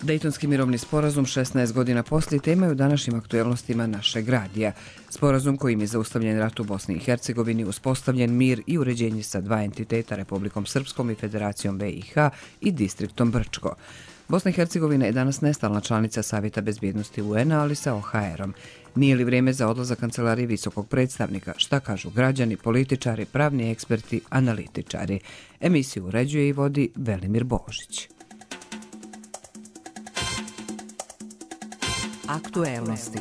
Dejtonski mirovni sporazum 16 godina poslije tema je u današnjim aktuelnostima našeg radija. Sporazum kojim je zaustavljen rat u Bosni i Hercegovini, uspostavljen mir i uređenje sa dva entiteta, Republikom Srpskom i Federacijom BiH i distriktom Brčko. Bosna i Hercegovina je danas nestalna članica Savjeta bezbjednosti UN-a, ali sa OHR-om. Nije li vrijeme za odlazak kancelarije visokog predstavnika? Šta kažu građani, političari, pravni eksperti, analitičari? Emisiju uređuje i vodi Velimir Božić. Aktuelnosti.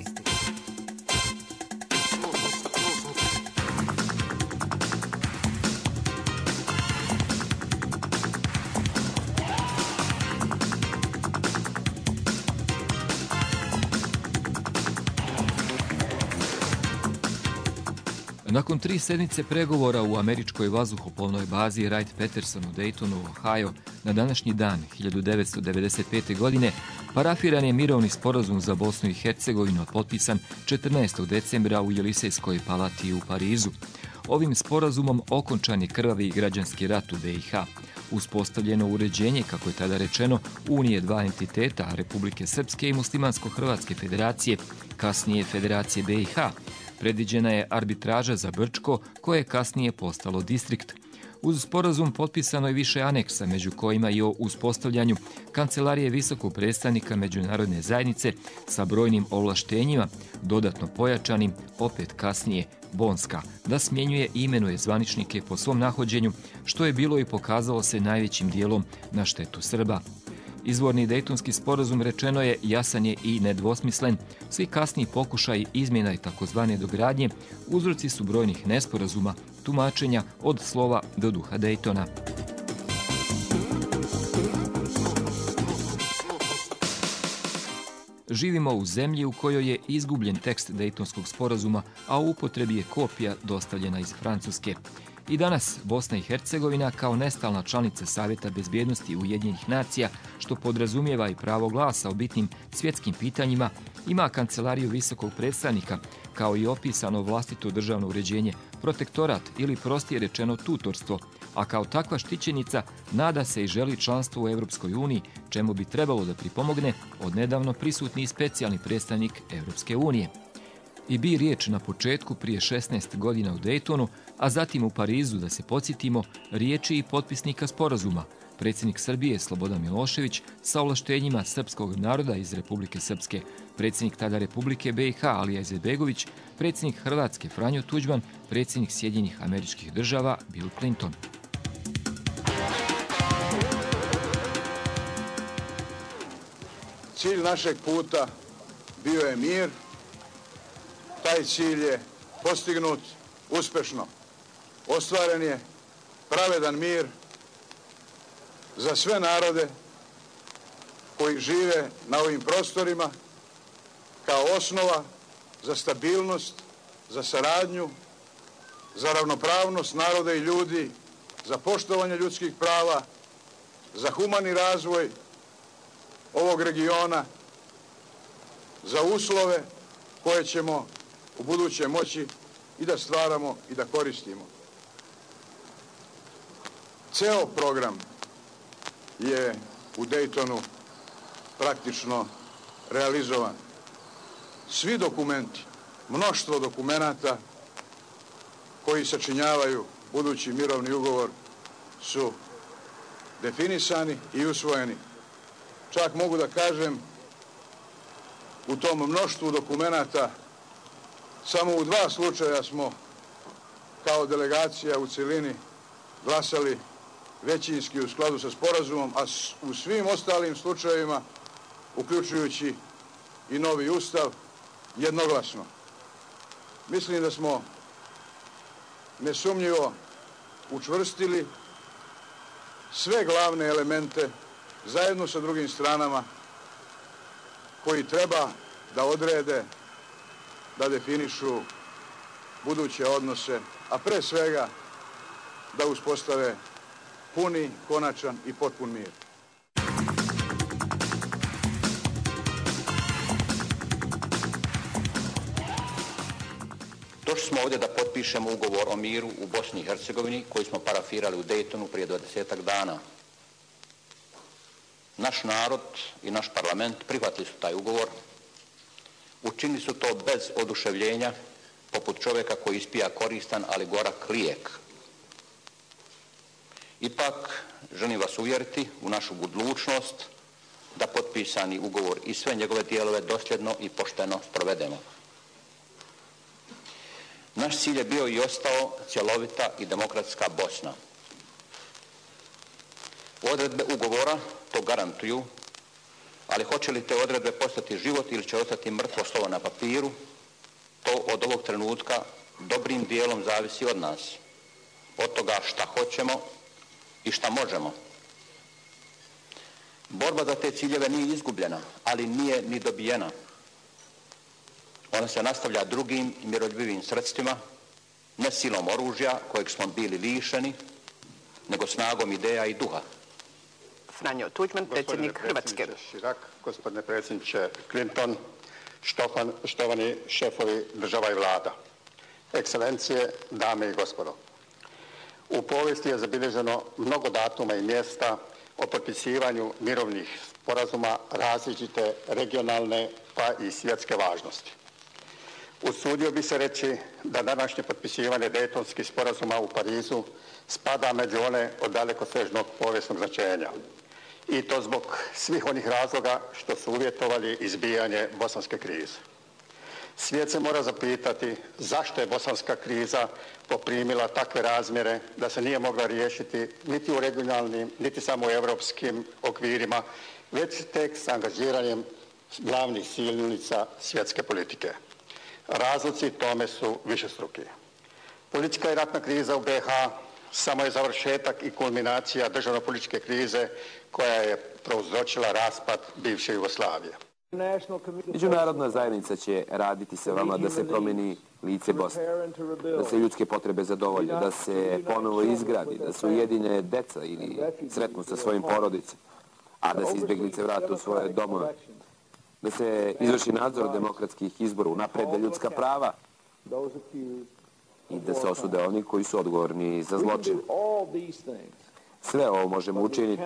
Nakon 3 sedmice pregovora u američkoj vazduhoplovnoj bazi Wright-Patterson u Daytonu, Ohio, na današnji dan 1995. godine parafiran je mirovni sporazum za Bosnu i Hercegovinu, potpisan 14. decembra u Jelisejskoj palati u Parizu. Ovim sporazumom okončan je krvavi građanski rat u BiH. Uspostavljeno uređenje, kako je tada rečeno, unije dva entiteta, Republike Srpske i Muslimansko-Hrvatske federacije, kasnije Federacije BiH. Predviđena je arbitraža za Brčko, koje je kasnije postalo distrikt. Uz sporazum potpisano je više aneksa, među kojima i o uspostavljanju Kancelarije visokog predstavnika međunarodne zajednice sa brojnim ovlaštenjima, dodatno pojačanim, opet kasnije Bonska, da smjenjuje i imenuje zvaničnike po svom nahođenju, što je bilo i pokazalo se najvećim dijelom na štetu Srba. Izvorni Dejtonski sporazum, rečeno je, jasan je i nedvosmislen. Svi kasniji pokušaji izmjena i takozvane dogradnje uzroci su brojnih nesporazuma, tumačenja od slova do duha Dejtona. Živimo u zemlji u kojoj je izgubljen tekst Dejtonskog sporazuma, a u upotrebi je kopija dostavljena iz Francuske. I danas Bosna i Hercegovina kao nestalna članica Savjeta bezbjednosti Ujedinjenih nacija, što podrazumijeva i pravo glasa o bitnim svjetskim pitanjima, ima kancelariju visokog predstavnika, kao i opisano vlastito državno uređenje, protektorat ili prostije rečeno tutorstvo, a kao takva štićenica nada se i želi članstvo u Europskoj uniji, čemu bi trebalo da pripomogne odnedavno prisutni specijalni predstavnik Europske unije. I bi riječ na početku prije 16 godina u Dejtonu, a zatim u Parizu, da se podsjetimo, riječi i potpisnika sporazuma, predsjednik Srbije Slobodan Milošević sa ovlaštenjima srpskog naroda iz Republike Srpske, predsjednik tada Republike BiH Alija Izetbegović, predsjednik Hrvatske Franjo Tuđman, predsjednik Sjedinjenih Američkih Država Bill Clinton. Cilj našeg puta bio je mir. Taj cilj je postignut uspješno. Ostvaren je pravedan mir za sve narode koji žive na ovim prostorima kao osnova za stabilnost, za saradnju, za ravnopravnost naroda i ljudi, za poštovanje ljudskih prava, za humani razvoj ovog regiona, za uslove koje ćemo u buduće moći i da stvaramo i da koristimo. Ceo program je u Dejtonu praktično realizovan. Svi dokumenti, mnoštvo dokumenata koji sačinjavaju budući mirovni ugovor su definisani i usvojeni. Čak mogu da kažem, u tom mnoštvu dokumenata samo u 2 slučaja smo kao delegacija u cjelini glasali većinski u skladu sa sporazumom, a u svim ostalim slučajevima, uključujući i novi ustav, jednoglasno. Mislim da smo nesumnjivo učvrstili sve glavne elemente zajedno sa drugim stranama koji treba da odrede, da definišu buduće odnose, a pre svega da uspostave puni, konačan i potpun mir. Došli smo ovdje da potpišemo ugovor o miru u Bosni i Hercegovini koji smo parafirali u Dejtonu prije 20 dana. Naš narod i naš parlament prihvatili su taj ugovor. Učinili su to bez oduševljenja, poput čovjeka koji ispija koristan, ali gorak lijek. Ipak, želim vas uvjeriti u našu odlučnost da potpisani ugovor i sve njegove dijelove dosljedno i pošteno sprovedemo. Naš cilj je bio i ostao cjelovita i demokratska Bosna. Odredbe ugovora to garantuju, ali hoće li te odredbe postati život ili će ostati mrtvo slovo na papiru, to od ovog trenutka dobrim dijelom zavisi od nas, od toga šta hoćemo i šta možemo. Borba za te ciljeve nije izgubljena, ali nije ni dobijena. Ona se nastavlja drugim i miroljubivim sredstvima, ne silom oružja kojeg smo bili lišeni, nego snagom ideja i duha. Franjo Tuđman, predsjednik Hrvatske. Širak, gospodine predsjedniče Clinton, štovani šefovi država i vlada, ekscelencije, dame i gospodo. U povijesti je zabilježeno mnogo datuma i mjesta o potpisivanju mirovnih sporazuma različite regionalne pa i svjetske važnosti. Usudio bi se reći da današnje potpisivanje Dejtonskih sporazuma u Parizu spada među one od dalekosežnog povijesnog značenja. I to zbog svih onih razloga što su uvjetovali izbijanje bosanske krize. Svijet se mora zapitati zašto je bosanska kriza poprimila takve razmjere da se nije mogla riješiti niti u regionalnim, niti samo u europskim okvirima, već tek s angažiranjem glavnih silnica svjetske politike. Razlozi tome su višestruki. Politička i ratna kriza u BiH samo je završetak i kulminacija državno-političke krize koja je prouzročila raspad bivše Jugoslavije. Međunarodna zajednica će raditi sa vama da se promijeni lice Bosne, da se ljudske potrebe zadovolje, da se ponovo izgradi, da se ujedine deca ili sretnu sa svojim porodicama, a da se izbjeglice vrate u svoje domove, da se izvrši nadzor demokratskih izbora, unaprede ljudska prava i da se osude oni koji su odgovorni za zločin. Sve ovo možemo učiniti,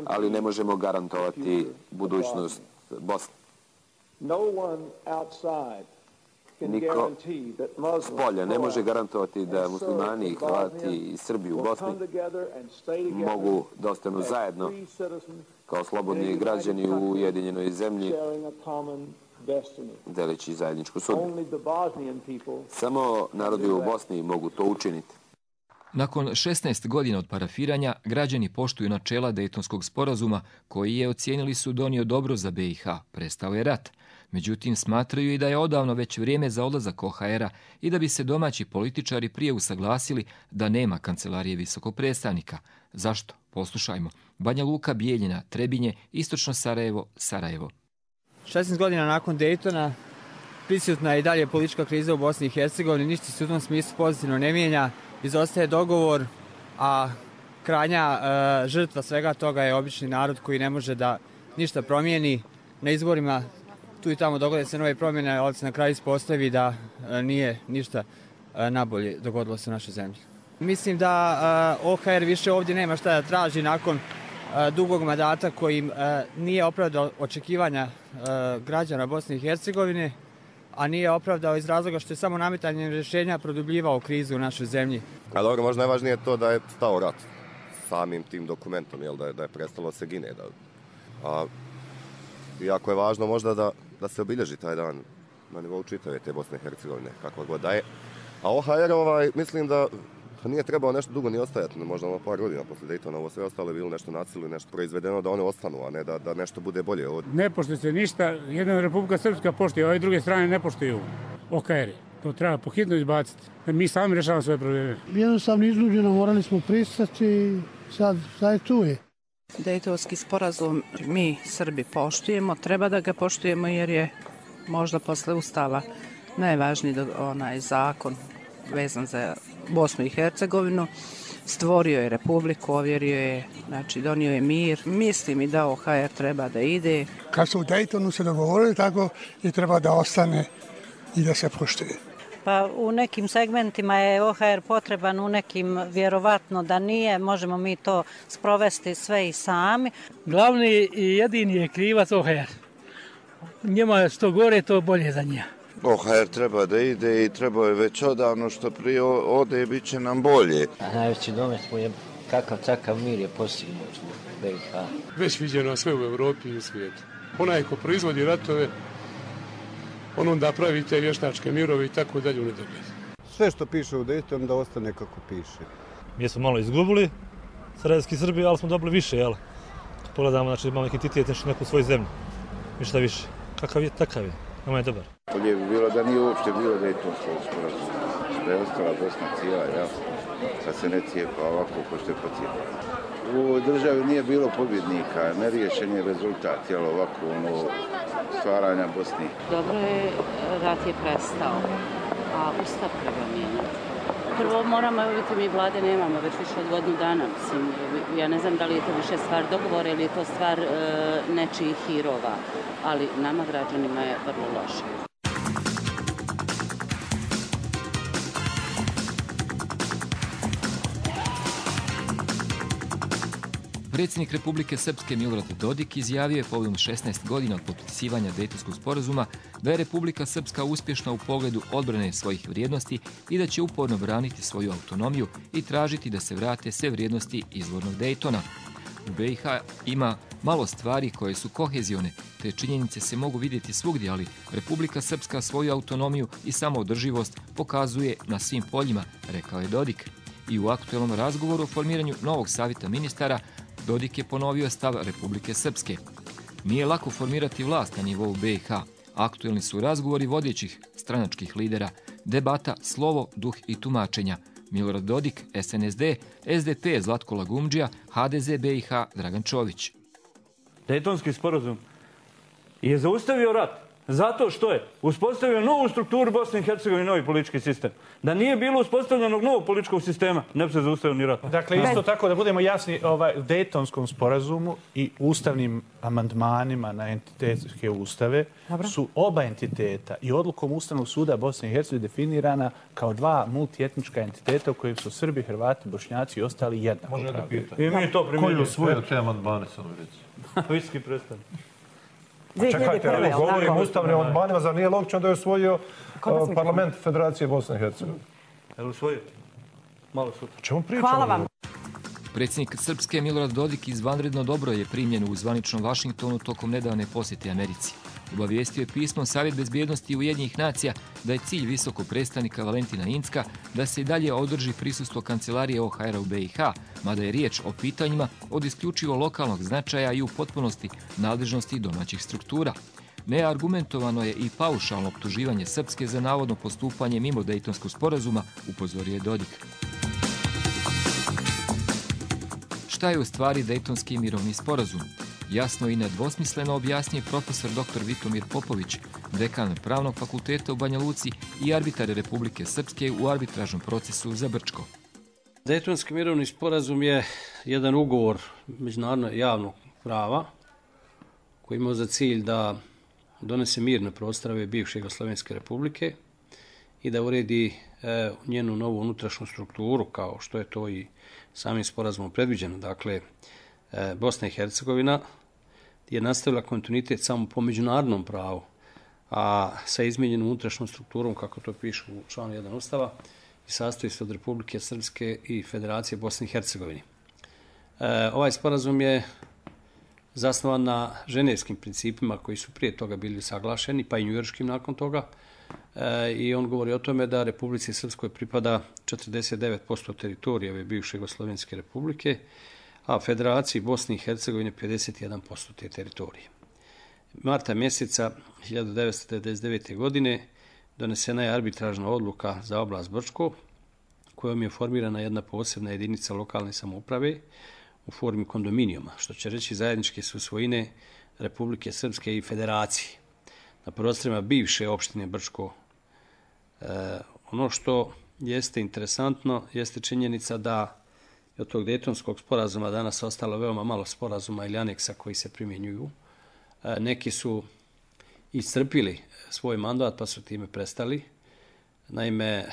ali ne možemo garantovati budućnost Bosne. Niko s polja ne može garantovati da muslimani, Hrvati i Srbi u Bosni mogu da ostanu zajedno kao slobodni građani u ujedinjenoj zemlji, deleći zajedničku sudbinu. Samo narodi u Bosni mogu to učiniti. Nakon 16 godina od parafiranja, građani poštuju načela Dejtonskog sporazuma, koji je, ocijenili su, donio dobro za BiH. Prestao je rat. Međutim, smatraju i da je odavno već vrijeme za odlazak OHR-a i da bi se domaći političari prije usaglasili da nema kancelarije visokog predstavnika. Zašto? Poslušajmo. Banja Luka, Bijeljina, Trebinje, Istočno Sarajevo, Sarajevo. 16 godina nakon Dejtona prisutna je i dalje politička kriza u Bosni i Hercegovini. Ništa se u tom smislu pozitivno ne mijenja. Izostaje dogovor, a krajnja žrtva svega toga je obični narod koji ne može da ništa promijeni. Na izborima tu i tamo dogode se nove promjene, ali se na kraju ispostavi da nije ništa nabolje dogodilo se u našoj zemlji. Mislim da OHR više ovdje nema šta da traži nakon dugog mandata koji nije opravdao očekivanja građana Bosne i Hercegovine, a nije opravdao iz razloga što je samo nametanjem rješenja produbljivao krizu u našoj zemlji. A dobro, možda najvažnije je to da je stao rat samim tim dokumentom, da je prestalo se gine. Iako je važno možda da se obilježi taj dan na nivou čitave te Bosne i Hercegovine, kakva god da je. A OHR, mislim da nije trebao nešto dugo ni ostajati, možda par godina poslije Dejtona, ovo sve ostalo je bilo nešto nacilo, nešto proizvedeno da one ostanu, a ne da nešto bude bolje. Ne poštuje se ništa, jedna Republika Srpska poštuje, ove druge strane ne poštuju OHR. To treba pohitno izbaciti. Mi sami rješavamo svoje probleme. Jednostavno izluđeno, morali smo pristati, sad je tu je. Dejtonski sporazum mi Srbi poštujemo, treba da ga poštujemo jer je možda posle Ustava najvažniji onaj zakon vezan za Bosnu i Hercegovinu. Stvorio je republiku, ovjerio je, znači donio je mir. Mislim i da OHR treba da ide. Kad su u Dejtonu se dogovorili, tako i treba da ostane i da se poštuje. Pa u nekim segmentima je OHR potreban, u nekim vjerovatno da nije, možemo mi to sprovesti sve i sami. Glavni i jedini je krivac OHR. Njima što gore, to bolje za njih. OHR treba da ide i treba je već odavno, što prije ode i bit će nam bolje. Najveći domet mu je kakav takav mir je postignut u BiH. Već viđeno sve u Evropi i u svijetu. Onaj ko proizvodi ratove, on onda pravi te vještačke mirove i tako dalje u nedogled. Sve što piše u Daytonu da ostane kako piše. Mi smo malo izgubili Sarajevski Srbi, ali smo dobili više, jel? Pogledamo, znači imamo neki entitet, neku svoju zemlju. Ništa više. Kakav je, takav je. Nama je dobar. Bolje bi bilo da nije uopšte bilo Daytonskog sporazuma. Da je ostala Bosna cijela, jasno. Da se ne cijepa ovako ko što je pocijepano. U ovoj državi nije bilo pobjednika, neriješen je rezultat, jel ovako, stvaranja Bosni. Dobro je, rat je prestao, a Ustav treba mijenjati. Prvo moramo, vidite, mi vlade nemamo već više od godinu dana, mislim, ja ne znam da li je to više stvar dogovora ili je to stvar nečijih hirova, ali nama građanima je vrlo loše. Predsjednik Republike Srpske Milorad Dodik izjavio je povodom 16 godina od potpisivanja Dejtonskog sporazuma da je Republika Srpska uspješna u pogledu odbrane svojih vrijednosti i da će uporno braniti svoju autonomiju i tražiti da se vrate sve vrijednosti izvornog Dejtona. U BiH ima malo stvari koje su kohezione, te činjenice se mogu vidjeti svugdje, ali Republika Srpska svoju autonomiju i samoodrživost pokazuje na svim poljima, rekao je Dodik. I u aktuelnom razgovoru o formiranju novog savjeta ministara Dodik je ponovio stav Republike Srpske. Nije lako formirati vlast na nivou BiH. Aktuelni su razgovori vodećih stranačkih lidera, debata, slovo, duh i tumačenja. Milorad Dodik, SNSD, SDP Zlatko Lagumdžija, HDZ BiH Dragan Čović. Dejtonski sporazum je zaustavio rat zato što je uspostavio novu strukturu Bosne i Hercegovine i novi politički sistem. Da nije bilo uspostavljenog novog političkog sistema, ne bi se zaustavio ni rat. Dakle, isto tako da budemo jasni, u Dejtonskom sporazumu i ustavnim amandmanima na entitetske ustave su oba entiteta i odlukom Ustavnog suda Bosne i Hercegovine definirana kao dva multietnička entiteta u kojim su Srbi, Hrvati, Bošnjaci i ostali jednako. Može da pita. I mi to primjenjujemo. Koji usvojio te amandmane, samo reći? Visoki predstavnik. Čekajte, evo govorim o ustavnim amandmanima, zar nije logično da je usvojio parlament Federacije Bosne i Hercegovine? Je li usvojio? Malo sutra. Čemu pričamo? Hvala vam. Predsjednik Srpske Milorad Dodik izvanredno dobro je primljen u zvaničnom Vašingtonu tokom nedavne posjete Americi. Obavijestio je pismom Savjet bezbjednosti Ujedinjenih nacija da je cilj visokog predstavnika Valentina Incka da se i dalje održi prisustvo kancelarije OHR-a u BiH, mada je riječ o pitanjima od isključivo lokalnog značaja i u potpunosti nadležnosti domaćih struktura. Neargumentovano je i paušalno optuživanje Srpske za navodno postupanje mimo Dejtonskog sporazuma, upozorio je Dodik. Šta je u stvari Dejtonski mirovni sporazum? Jasno i nedvosmisleno objasnije profesor dr. Vitomir Popović, dekan Pravnog fakulteta u Banja Luci i arbitar Republike Srpske u arbitražnom procesu za Brčko. Dejtonski mirovni sporazum je jedan ugovor međunarodnog javnog prava koji ima za cilj da donese mir na prostorove bivše Jugoslovenske republike i da uredi njenu novu unutrašnju strukturu, kao što je to i samim sporazumom predviđeno. Dakle, Bosna i Hercegovina je nastavila kontinuitet samo po međunarodnom pravu, a sa izmijenjenom unutrašnjom strukturom, kako to piše u članu 1 Ustava, i sastoji se od Republike Srpske i Federacije Bosne i Hercegovine. Ovaj sporazum je zasnovan na ženevskim principima koji su prije toga bili saglašeni, pa i njujorškim nakon toga, i on govori o tome da Republici Srpskoj pripada 49% teritorije ove bivše Jugoslovenske republike, a Federaciji Bosne i Hercegovine 51% te teritorije. Marta mjeseca 1999. godine donesena je arbitražna odluka za oblast Brčko, kojom je formirana jedna posebna jedinica lokalne samouprave u formi kondominijuma, što će reći zajedničke su svojine Republike Srpske i Federacije na prostorima bivše opštine Brčko. Ono što jeste interesantno jeste činjenica da je od tog Dejtonskog sporazuma danas ostalo veoma malo sporazuma ili aneksa koji se primjenjuju. Neki su iscrpili svoj mandat pa su time prestali. Naime,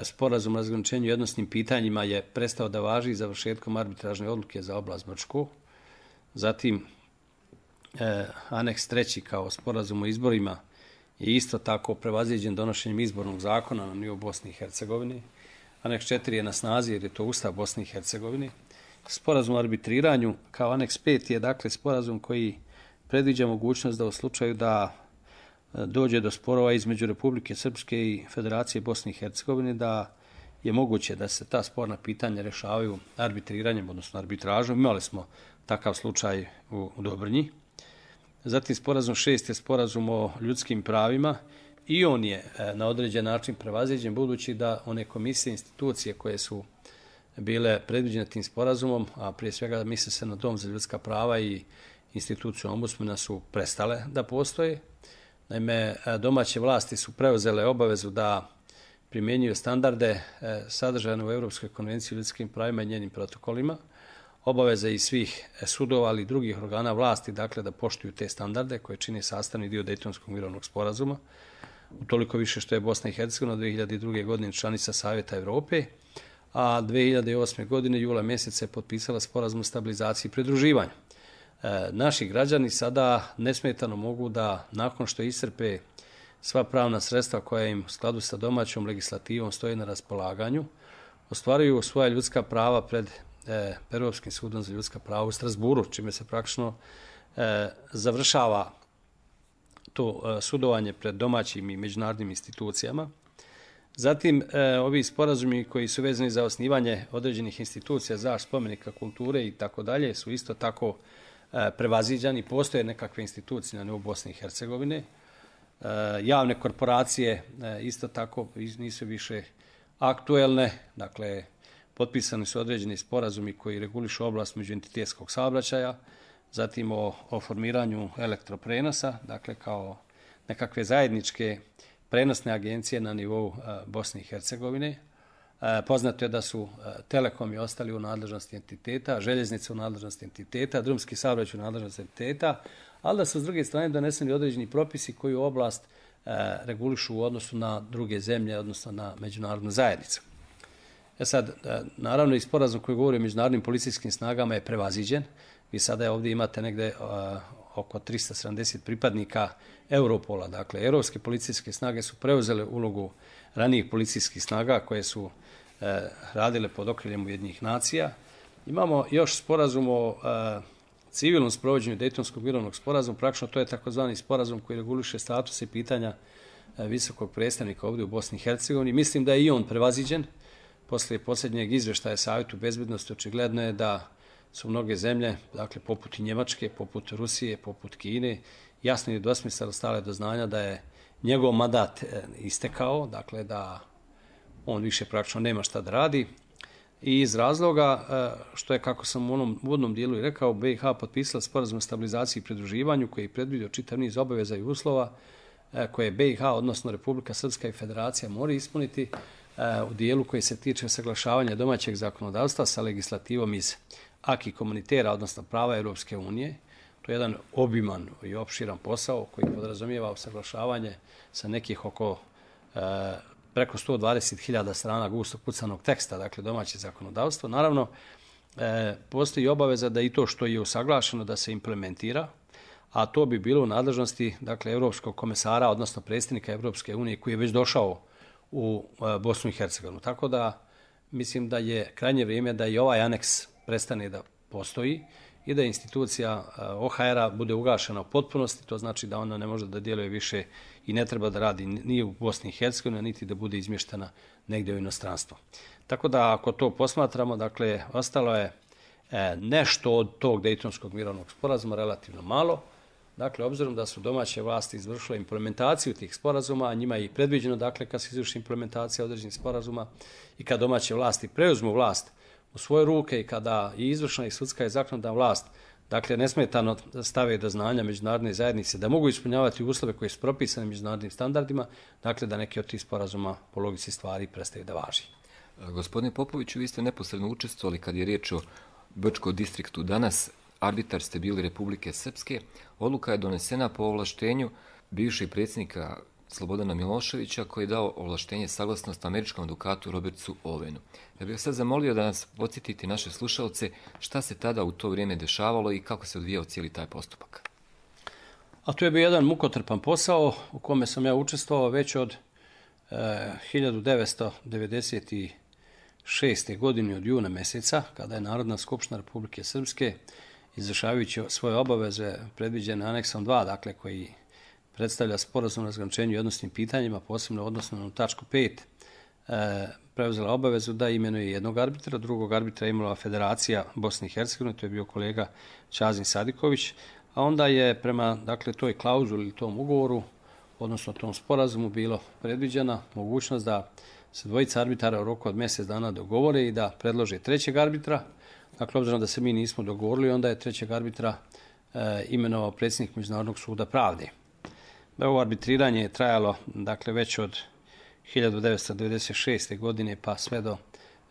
sporazum o razgraničenju jednostnim pitanjima je prestao da važi završetkom arbitražne odluke za oblast Brčko. Zatim, aneks 3. kao sporazum o izborima je isto tako prevaziđen donošenjem izbornog zakona na nivou Bosne i Hercegovine. Aneks 4 je na snazi jer je to Ustav Bosne i Hercegovine. Sporazum o arbitriranju kao aneks 5 je dakle sporazum koji predviđa mogućnost da u slučaju da dođe do sporova između Republike Srpske i Federacije Bosne i Hercegovine, da je moguće da se ta sporna pitanja rješavaju arbitriranjem, odnosno arbitražom. Imali smo takav slučaj u Dobrnji. Zatim sporazum 6 je sporazum o ljudskim pravima i on je na određen način prevaziđen, budući da one komisije, institucije koje su bile predviđene tim sporazumom, a prije svega misli se na Dom za ljudska prava i instituciju ombudsmana, su prestale da postoje. Naime, domaće vlasti su preuzele obavezu da primjenjuju standarde sadržane u Europskoj konvenciji o ljudskim pravima i njenim protokolima. Obaveza i svih sudova, ali i drugih organa vlasti, dakle, da poštuju te standarde koje čine sastavni dio Dejtonskog mirovnog sporazuma. Utoliko više što je Bosna i Hercegovina 2002. godine članica Savjeta Evrope, a 2008. godine jula mjeseca je potpisala sporazum o stabilizaciji i pridruživanju. Naši građani sada nesmetano mogu da, nakon što iscrpe sva pravna sredstva koja im u skladu sa domaćom legislativom stoji na raspolaganju, ostvaruju svoja ljudska prava pred Europskim sudom za ljudska prava u Strasburu, čime se praktično završava to sudovanje pred domaćim i međunarodnim institucijama. Zatim, ovi sporazumi koji su vezani za osnivanje određenih institucija, zaštite spomenika kulture i tako dalje, su isto tako prevaziđani. Postoje nekakve institucije na nivou Bosne i Hercegovine. Javne korporacije isto tako nisu više aktuelne. Dakle, potpisani su određeni sporazumi koji regulišu oblast međuentitetskog saobraćaja, zatim o formiranju elektroprenosa, dakle kao nekakve zajedničke prenosne agencije na nivou Bosne i Hercegovine. Poznato je da su telekomi ostali u nadležnosti entiteta, željeznice u nadležnosti entiteta, drumski saobraćaj u nadležnosti entiteta, ali da su s druge strane doneseni određeni propisi koji u oblast regulišu u odnosu na druge zemlje, odnosno na međunarodnu zajednicu. Sad, naravno i sporazum koji govori o međunarodnim policijskim snagama je prevaziđen. Vi sada ovdje imate negde oko 370 pripadnika Europola. Dakle, europske policijske snage su preuzele ulogu ranijih policijskih snaga koje su radile pod okriljem Ujedinjenih nacija. Imamo još sporazum o civilnom sprovođenju Dejtonskog mirovnog sporazuma. Praktično to je takozvani sporazum koji reguliše statuse i pitanja visokog predstavnika ovdje u Bosni i Hercegovini. Mislim da je i on prevaziđen. Poslije posljednjeg izvještaja Savjetu bezbednosti očigledno je da su mnoge zemlje, dakle poput i Njemačke, poput Rusije, poput Kine, jasno i dosmisleno stale do znanja da je njegov mandat istekao, dakle da on više praktično nema šta da radi. I iz razloga što je, kako sam u onom uvodnom dijelu i rekao, BiH potpisala sporazum o stabilizaciji i pridruživanju koji je predvidio čitav niz obaveza i uslova koje BiH, odnosno Republika Srpska i Federacija mora ispuniti u dijelu koji se tiče saglašavanja domaćeg zakonodavstva sa legislativom iz acquis communautaire, odnosno prava Europske unije. To je jedan obiman i opširan posao koji podrazumijeva usaglašavanje sa nekih oko preko 120.000 strana gustog pucanog teksta, dakle domaće zakonodavstvo. Naravno, postoji obaveza da i to što je usaglašeno da se implementira, a to bi bilo u nadležnosti, dakle, Europskog komesara, odnosno predsjednika Europske unije koji je već došao u Bosnu i Hercegovinu. Tako da mislim da je krajnje vrijeme da i ovaj aneks prestane da postoji i da institucija OHR-a bude ugašena u potpunosti. To znači da ona ne može da djeluje više i ne treba da radi ni u Bosni i Hercegovini, niti da bude izmještena negdje u inostranstvo. Tako da ako to posmatramo, dakle, ostalo je nešto od tog Dejtonskog mirovnog sporazuma, relativno malo. Dakle, obzirom da su domaće vlasti izvršile implementaciju tih sporazuma, a njima je i predviđeno, dakle, kad se izvrši implementacija određenih sporazuma i kad domaće vlasti preuzmu vlast u svoje ruke i kada i izvršna i sudska i zakonodavna vlast, dakle, nesmetano stave do znanja međunarodne zajednice da mogu ispunjavati uslove koje su propisane međunarodnim standardima, dakle, da neki od tih sporazuma po logici stvari prestaju da važi. Gospodine Popoviću, vi ste neposredno učestvovali kad je riječ o Brčkom distriktu danas. Arbitar ste bili Republike Srpske. Odluka je donesena po ovlaštenju bivšeg predsjednika Slobodana Miloševića, koji je dao ovlaštenje saglasnost američkom advokatu Robertu Owenu. Ja bih sad zamolio da nas podsjetite naše slušalce šta se tada u to vrijeme dešavalo i kako se odvijao cijeli taj postupak. A to je bio jedan mukotrpan posao u kome sam ja učestvovao već od 1996. godine od juna mjeseca, kada je Narodna skupština Republike Srpske, izvršavajući svoje obaveze predviđene aneksom 2, dakle koji predstavlja sporazum o razgraničenju i odnosnim pitanjima, posebno odnosno na tačku 5, preuzela obavezu da imenuje jednog arbitra, drugog arbitra je imala Federacija Bosne i Hercegovine, to je bio kolega Čazin Sadiković, a onda je prema toj klauzuli ili tom ugovoru, odnosno tom sporazumu, bilo predviđena mogućnost da se dvojica arbitara u roku od mjesec dana dogovore i da predlože trećeg arbitra. Dakle, obzirom da se mi nismo dogovorili, onda je trećeg arbitra imenovao predsjednik Međunarodnog suda pravde. Ovo arbitriranje je trajalo već od 1996. godine pa sve do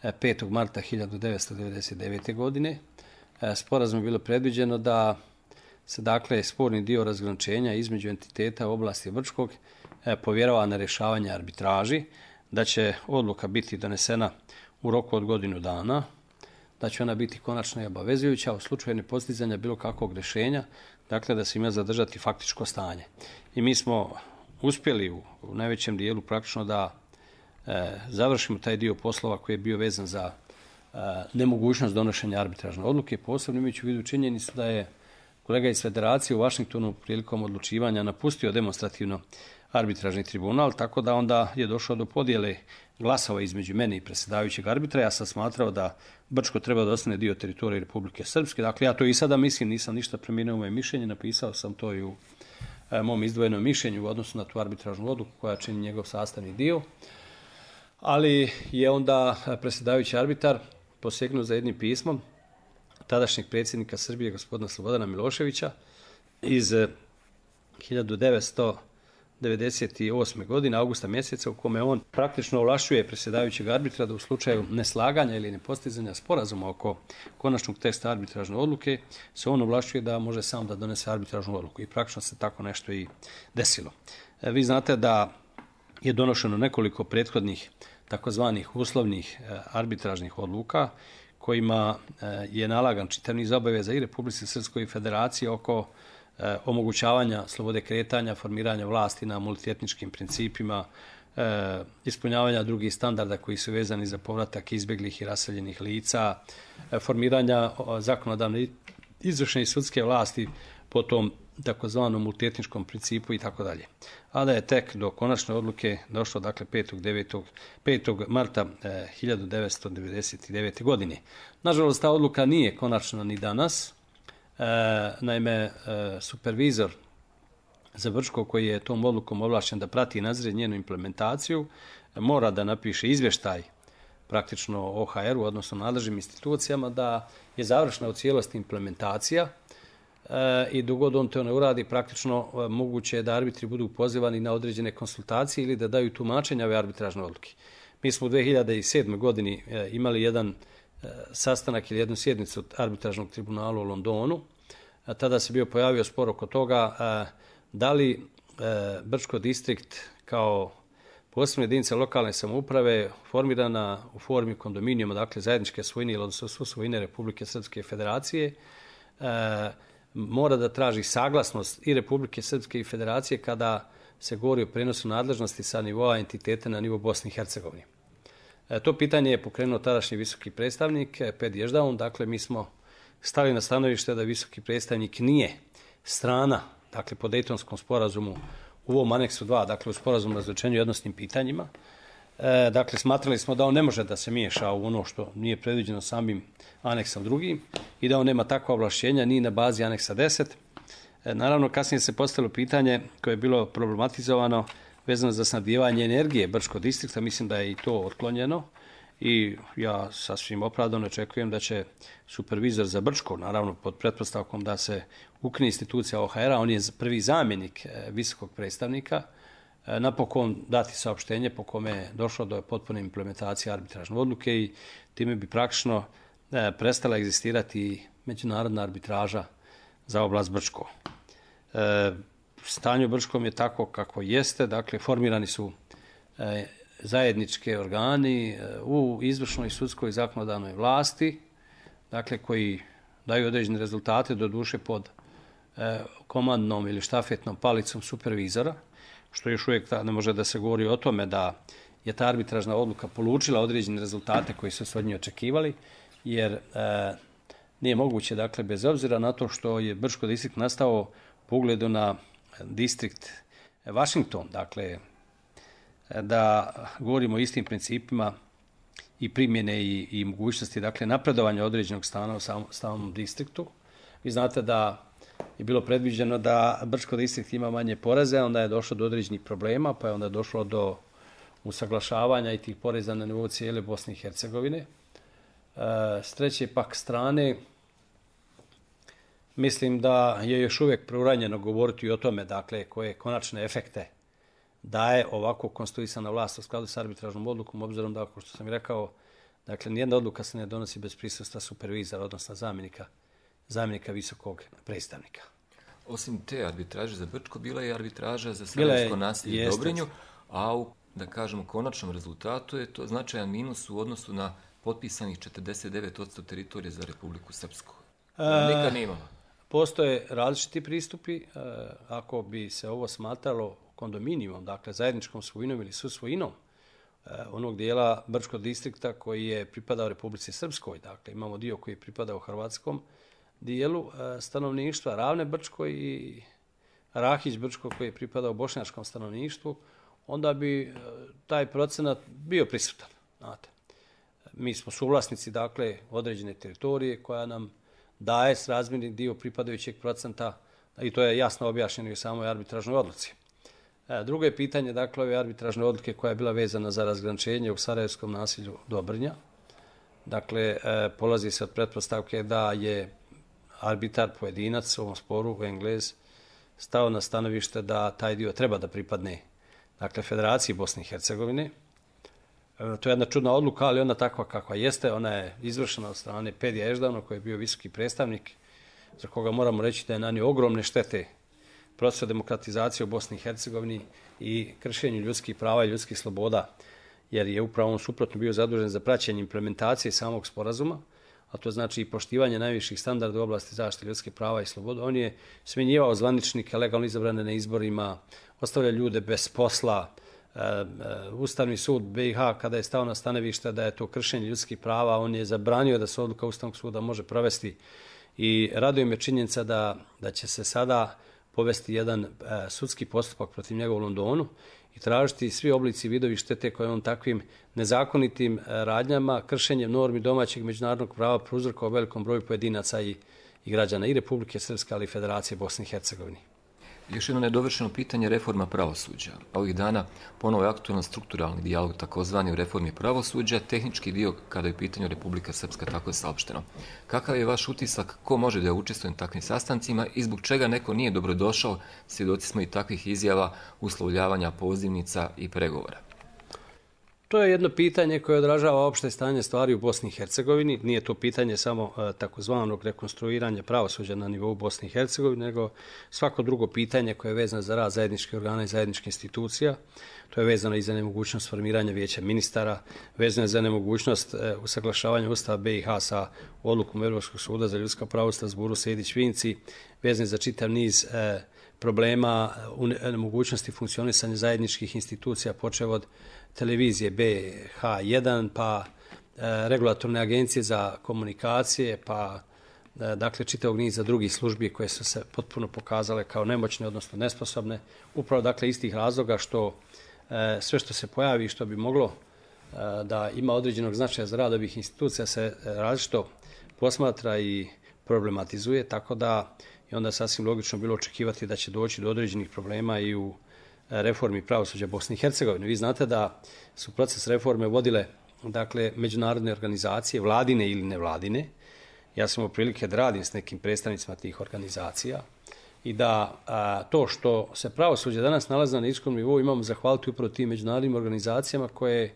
5. marta 1999. godine. Sporazum je bilo predviđeno da se sporni dio razgraničenja između entiteta u oblasti Brčkog povjerava na rješavanje arbitraži, da će odluka biti donesena u roku od godinu dana, da će ona biti konačna i obavezujuća u slučaju nepostizanja bilo kakvog rješenja, da se ima zadržati faktičko stanje. I mi smo uspjeli u najvećem dijelu praktično da završimo taj dio poslova koji je bio vezan za nemogućnost donošenja arbitražne odluke, posebno imajući u vidu činjenicu da je kolega iz Federacije u Vašingtonu prilikom odlučivanja napustio demonstrativno arbitražni tribunal, tako da onda je došlo do podjele glasova između mene i predsjedavajućeg arbitra. Ja sam smatrao da Brčko treba da ostane dio teritorije Republike Srpske. Dakle, ja to i sada mislim, nisam ništa promijenio moje mišljenje, napisao sam to i u mom izdvojenom mišljenju u odnosu na tu arbitražnu odluku koja čini njegov sastavni dio. Ali je onda predsjedavajući arbitar posegnuo za jednim pismom tadašnjeg predsjednika Srbije, gospodina Slobodana Miloševića, iz 1998. godine, augusta mjeseca, u kome on praktično ovlašćuje predsjedavajućeg arbitra da u slučaju neslaganja ili nepostizanja sporazuma oko konačnog teksta arbitražne odluke se on ovlašćuje da može sam da donese arbitražnu odluku. I praktično se tako nešto i desilo. Vi znate da je donošeno nekoliko prethodnih takozvanih uslovnih arbitražnih odluka kojima je nalagan čitav niz obaveza i Republici Srpskoj i Federaciji oko omogućavanja slobode kretanja, formiranja vlasti na multietničkim principima, ispunjavanja drugih standarda koji su vezani za povratak izbjeglih i raseljenih lica, formiranja zakonodavne, izvršne i sudske vlasti po tom takozvanom multietničkom principu i tako dalje. A da je tek do konačne odluke došlo 5. marta 1999. godine. Nažalost, ta odluka nije konačna ni danas. Naime, supervizor za Brčko, koji je tom odlukom ovlašćen da prati i nadzire njenu implementaciju, mora da napiše izvještaj praktično OHR-u, odnosno nadležnim institucijama, da je završena u cijelosti implementacija i dok god on to ne uradi, praktično moguće je da arbitri budu pozivani na određene konsultacije ili da daju tumačenja ove arbitražne odluke. Mi smo u 2007. godini imali jedan sastanak ili jednu sjednicu arbitražnog tribunala u Londonu. Tada se bio pojavio spor oko toga da li Brčko distrikt kao posebna jedinica lokalne samouprave formirana u formi kondominijuma, dakle zajedničke svojine ili odnosno svojine Republike Srpske Federacije, mora da traži saglasnost i Republike Srpske i Federacije kada se govori o prenosu nadležnosti sa nivoa entiteta na nivo Bosne i Hercegovine. To pitanje je pokrenuo tadašnji visoki predstavnik Ped Ježdaun. Dakle, mi smo stali na stanovište da visoki predstavnik nije strana, dakle, po Dejtonskom sporazumu u ovom aneksu 2, dakle, u sporazumu o razgraničenju i odnosnim pitanjima. Dakle, smatrali smo da on ne može da se miješa u ono što nije predviđeno samim aneksom 2 i da on nema takva ovlašćenja ni na bazi aneksa 10. Naravno, kasnije se postavilo pitanje koje je bilo problematizovano vezano za snabdijevanje energije Brčkog distrikta. Mislim da je i to otklonjeno i ja sasvim opravdano očekujem da će supervizor za Brčko, naravno pod pretpostavkom da se ukine institucija OHR-a, on je prvi zamjenik visokog predstavnika, napokon dati saopštenje po kome je došlo do potpune implementacije arbitražne odluke i time bi praktično prestala egzistirati međunarodna arbitraža za oblast Brčko. stanje u Brčkom je tako kako jeste, dakle formirani su zajedničke organi u izvršnoj, sudskoj i zakonodavnoj vlasti, dakle koji daju određene rezultate, doduše pod komandnom ili štafetnom palicom supervizora, što još uvijek ne može da se govori o tome da je ta arbitražna odluka polučila određene rezultate koji su se od nje očekivali, jer nije moguće, dakle, bez obzira na to što je Brčko distrikt nastao po ugledu na distrikt Washington, dakle, da govorimo o istim principima i primjene i mogućnosti, dakle, napredovanja određenog stana u samom distriktu. Vi znate da je bilo predviđeno da Brčko distrikt ima manje poreze, onda je došlo do određenih problema, pa je onda došlo do usaglašavanja i tih poreza na nivou cijele Bosne i Hercegovine. S treće pak strane, mislim da je još uvijek preuranjeno govoriti o tome, dakle, koje konačne efekte daje ovako konstruisana vlast u skladu s arbitražnom odlukom, obzirom da, kao što sam i rekao, dakle, nijedna odluka se ne donosi bez prisustva supervizora, odnosno zamjenika visokog predstavnika. Osim te arbitraže za Brčko, bila je arbitraža za sarajevsko naselje u Dobrinju, a u, da kažemo, konačnom rezultatu je to značajan minus u odnosu na potpisanih 49% teritorije za Republiku Srpsku. Nikad nije imala. Postoje različiti pristupi. Ako bi se ovo smatralo kondominijumom, dakle zajedničkom svojinom ili susvojinom onog dijela Brčkog distrikta koji je pripadao Republici Srpskoj, dakle imamo dio koji je pripadao hrvatskom dijelu stanovništva, Ravne Brčko i Rahić Brčko koji je pripadao bošnjačkom stanovništvu, onda bi taj procenat bio prisutan. Znate. Mi smo suvlasnici, dakle, određene teritorije koja nam daje srazmjerni dio pripadajućeg procenta i to je jasno objašnjeno i u samoj arbitražnoj odluci. Drugo je pitanje, dakle, ove arbitražne odluke koja je bila vezana za razgraničenje u sarajevskom naselju Dobrnja. Dakle, polazi se od pretpostavke da je arbitar, pojedinac u ovom sporu, Englez, stao na stanovište da taj dio treba da pripadne, dakle, Federaciji Bosne i Hercegovine. To je jedna čudna odluka, ali ona takva kakva jeste. Ona je izvršena od strane Pedija Eždavno, koji je bio visoki predstavnik, za koga moramo reći da je nanio ogromne štete procesu demokratizacije u Bosni i Hercegovini i kršenju ljudskih prava i ljudskih sloboda, jer je upravo on suprotno bio zadužen za praćenje implementacije samog sporazuma, a to znači i poštivanje najviših standarda u oblasti zaštite ljudskih prava i sloboda. On je smjenjivao zvaničnike legalno izabrane na izborima, ostavlja ljude bez posla. Ustavni sud BiH, kada je stao na stanovište da je to kršenje ljudskih prava, on je zabranio da se odluka Ustavnog suda može provesti i raduje me činjenica da će se sada povesti jedan sudski postupak protiv njega u Londonu i tražiti svi oblici vidovi štete koje on takvim nezakonitim radnjama, kršenjem normi domaćeg međunarodnog prava prouzrokovao velikom broju pojedinaca i građana i Republike Srpske, ali i Federacije Bosne i Hercegovine. Još jedno nedovršeno pitanje, reforma pravosuđa. Ovih dana ponovo je aktualan strukturalni dijalog, takozvani u reformi pravosuđa, tehnički dio kada je u pitanju Republika Srpska, tako je saopšteno. Kakav je vaš utisak, ko može da učestvuje na takvim sastancima i zbog čega neko nije dobrodošao? Svjedoci smo i takvih izjava, uslovljavanja pozivnica i pregovora. To je jedno pitanje koje odražava opšte stanje stvari u Bosni i Hercegovini. Nije to pitanje samo takozvanog rekonstruiranja pravosuđa na nivou Bosne i Hercegovine, nego svako drugo pitanje koje je vezano za rad zajedničkih organa i zajedničkih institucija. To je vezano i za nemogućnost formiranja vijeća ministara, vezano je za nemogućnost usaglašavanja Ustava BiH sa odlukom Europskog suda za ljudska prava u Strasburu Sejdić-Vinci, vezano je za čitav niz problema u nemogućnosti funkcionisanja zajedničkih institucija, počev od televizije BH1, pa regulatorne agencije za komunikacije, pa dakle čitavog niza drugih službi koje su se potpuno pokazale kao nemoćne, odnosno nesposobne, upravo dakle iz tih razloga što sve što se pojavi i što bi moglo da ima određenog značaja za rad ovih institucija se različito posmatra i problematizuje, tako da je onda sasvim logično bilo očekivati da će doći do određenih problema i u reformi pravosuđa Bosne i Hercegovine. Vi znate da su proces reforme vodile, dakle, međunarodne organizacije, vladine ili nevladine. Ja sam imao prilike da radim s nekim predstavnicima tih organizacija i da to što se pravosuđe danas nalazi na niskom nivou imamo zahvaliti upravo tim međunarodnim organizacijama koje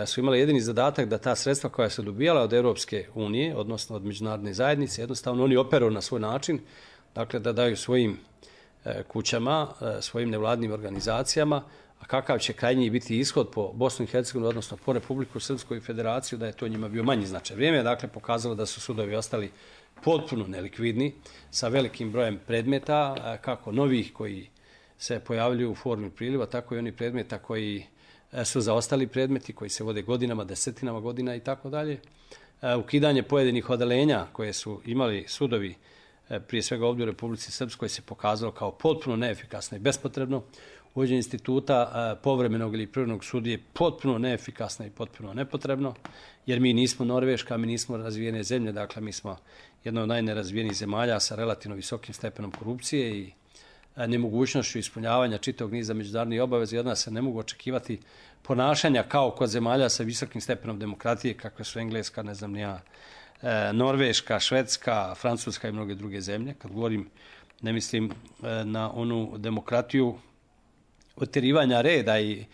su imale jedini zadatak da ta sredstva koja su dobijala od Europske unije, odnosno od međunarodne zajednice, jednostavno oni operuju na svoj način, dakle da daju svojim kućama, svojim nevladnim organizacijama, a kakav će krajnji biti ishod po Bosnu i Hercegovinu, odnosno po Republiku Srpsku i Federaciju, da je to njima bio manji značaj. Vrijeme je dakle pokazalo da su sudovi ostali potpuno nelikvidni, sa velikim brojem predmeta, kako novih koji se pojavljuju u formi priliva, tako i oni predmeta koji su zaostali predmeti, koji se vode godinama, desetinama godina i tako dalje. Ukidanje pojedinih odeljenja koje su imali sudovi, prije svega ovdje u Republici Srpskoj, se pokazalo kao potpuno neefikasno i bespotrebno. Uvođenje instituta povremenog ili privremenog sudije potpuno neefikasno i potpuno nepotrebno, jer mi nismo Norveška, mi nismo razvijene zemlje, dakle mi smo jedna od najnerazvijenijih zemalja sa relativno visokim stepenom korupcije i nemogućnošću ispunjavanja čitavog niza međunarodnih obaveza, i od nas se ne mogu očekivati ponašanja kao kod zemalja sa visokim stepenom demokratije, kakve su Engleska, ne znam ni ja, Norveška, Švedska, Francuska i mnoge druge zemlje. Kad govorim, ne mislim na onu demokratiju otjerivanja reda i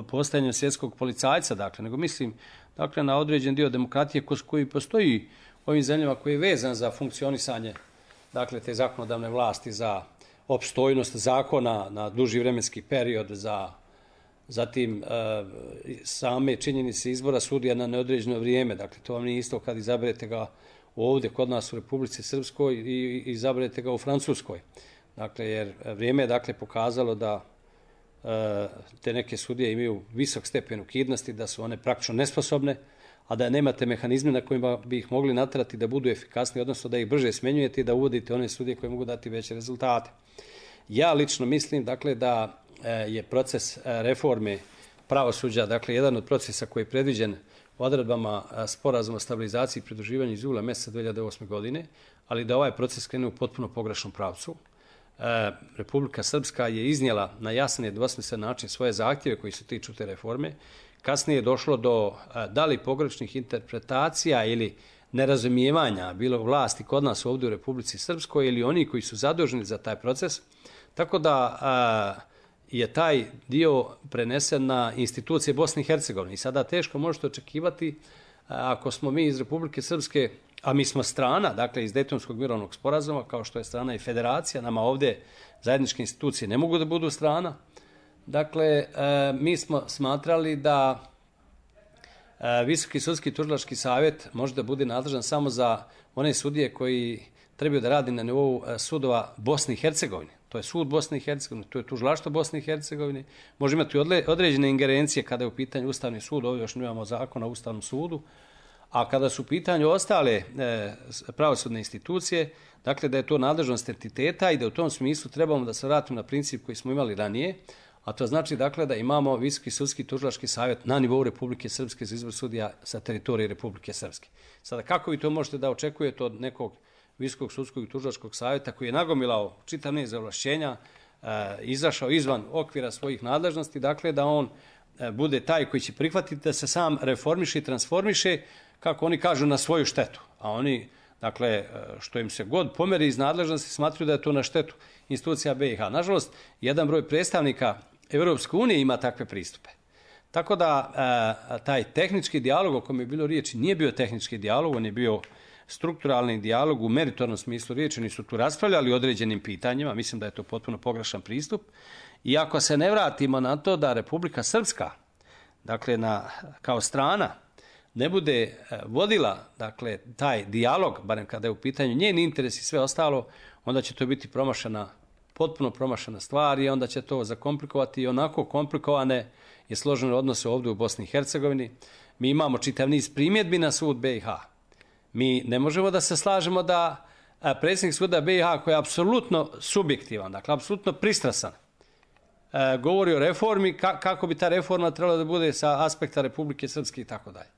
postajanjem svjetskog policajca, dakle, nego mislim dakle, na određen dio demokratije koji postoji u ovim zemljama, koji je vezan za funkcionisanje dakle, te zakonodavne vlasti, za opstojnost zakona na duži vremenski period, zatim same činjenice izbora sudija na neodređeno vrijeme. Dakle, to vam nije isto kad izaberete ga ovdje kod nas u Republici Srpskoj i izaberete ga u Francuskoj. Dakle, jer vrijeme je dakle pokazalo da te neke sudije imaju visok stepen ukidnosti, da su one praktično nesposobne, a da nemate mehanizme na kojima bi ih mogli naterati da budu efikasni, odnosno da ih brže smenjujete i da uvodite one sudije koje mogu dati veće rezultate. Ja lično mislim dakle, da je proces reforme pravosuđa, dakle, jedan od procesa koji je predviđen odredbama sporazuma o stabilizaciji i pridruživanju iz jula mjeseca 2008. godine, ali da ovaj proces krene u potpuno pogrešnom pravcu. Republika Srpska je iznijela na jasan i nedvosmislen način svoje zahtjeve koji se tiču te reforme. Kasnije je došlo do da li pogrešnih interpretacija ili nerazumijevanja bilo vlasti kod nas ovdje u Republici Srpskoj ili oni koji su zaduženi za taj proces. Tako da je taj dio prenesen na institucije Bosne i Hercegovine. I sada teško možete očekivati, ako smo mi iz Republike Srpske, a mi smo strana, dakle iz Dejtonskog mirovnog sporazuma, kao što je strana i federacija, nama ovdje zajedničke institucije ne mogu da budu strana. Dakle, mi smo smatrali da Visoki sudski tužilački savjet može da bude nadležan samo za one sudije koji trebaju da radi na nivou sudova Bosne i Hercegovine. To je sud Bosne i Hercegovine, to je tužilaštvo Bosne i Hercegovine. Može imati određene ingerencije kada je u pitanju Ustavni sud, ovdje još nemamo zakon o Ustavnom sudu, a kada su u pitanju ostale pravosudne institucije, dakle da je to nadležnost entiteta i da u tom smislu trebamo da se vratimo na princip koji smo imali ranije, a to znači dakle da imamo Visoki sudski tužilački savjet na nivou Republike Srpske za izbor sudija sa teritorije Republike Srpske. Sada kako vi to možete da očekujete od nekog Visokog sudskog i tužilačkog savjeta koji je nagomilao čitav niz ovlašćenja, izašao izvan okvira svojih nadležnosti, dakle da on bude taj koji će prihvatiti da se sam reformiše i transformiše, kako oni kažu, na svoju štetu. A oni, dakle, što im se god pomeri iz nadležnosti, smatruju da je to na štetu institucija BiH. Nažalost, jedan broj predstavnika Evropske unije ima takve pristupe. Tako da taj tehnički dijalog o kojem je bilo riječi nije bio tehnički dijalog, on je bio strukturalni dijalog u meritornom smislu riječi. Oni su tu raspravljali o određenim pitanjima, mislim da je to potpuno pogrešan pristup. I ako se ne vratimo na to da Republika Srpska, dakle kao strana, ne bude vodila dakle, taj dijalog, barem kada je u pitanju njen interes i sve ostalo, onda će to biti potpuno promašena stvar i onda će to zakomplikovati i onako komplikovane i složene odnose ovdje u Bosni i Hercegovini. Mi imamo čitav niz primjedbi na sud BiH. Mi ne možemo da se slažemo da predsjednik suda BiH, koji je apsolutno subjektivan, dakle apsolutno pristrasan, govori o reformi, kako bi ta reforma trebala da bude sa aspekta Republike Srpske i tako dalje.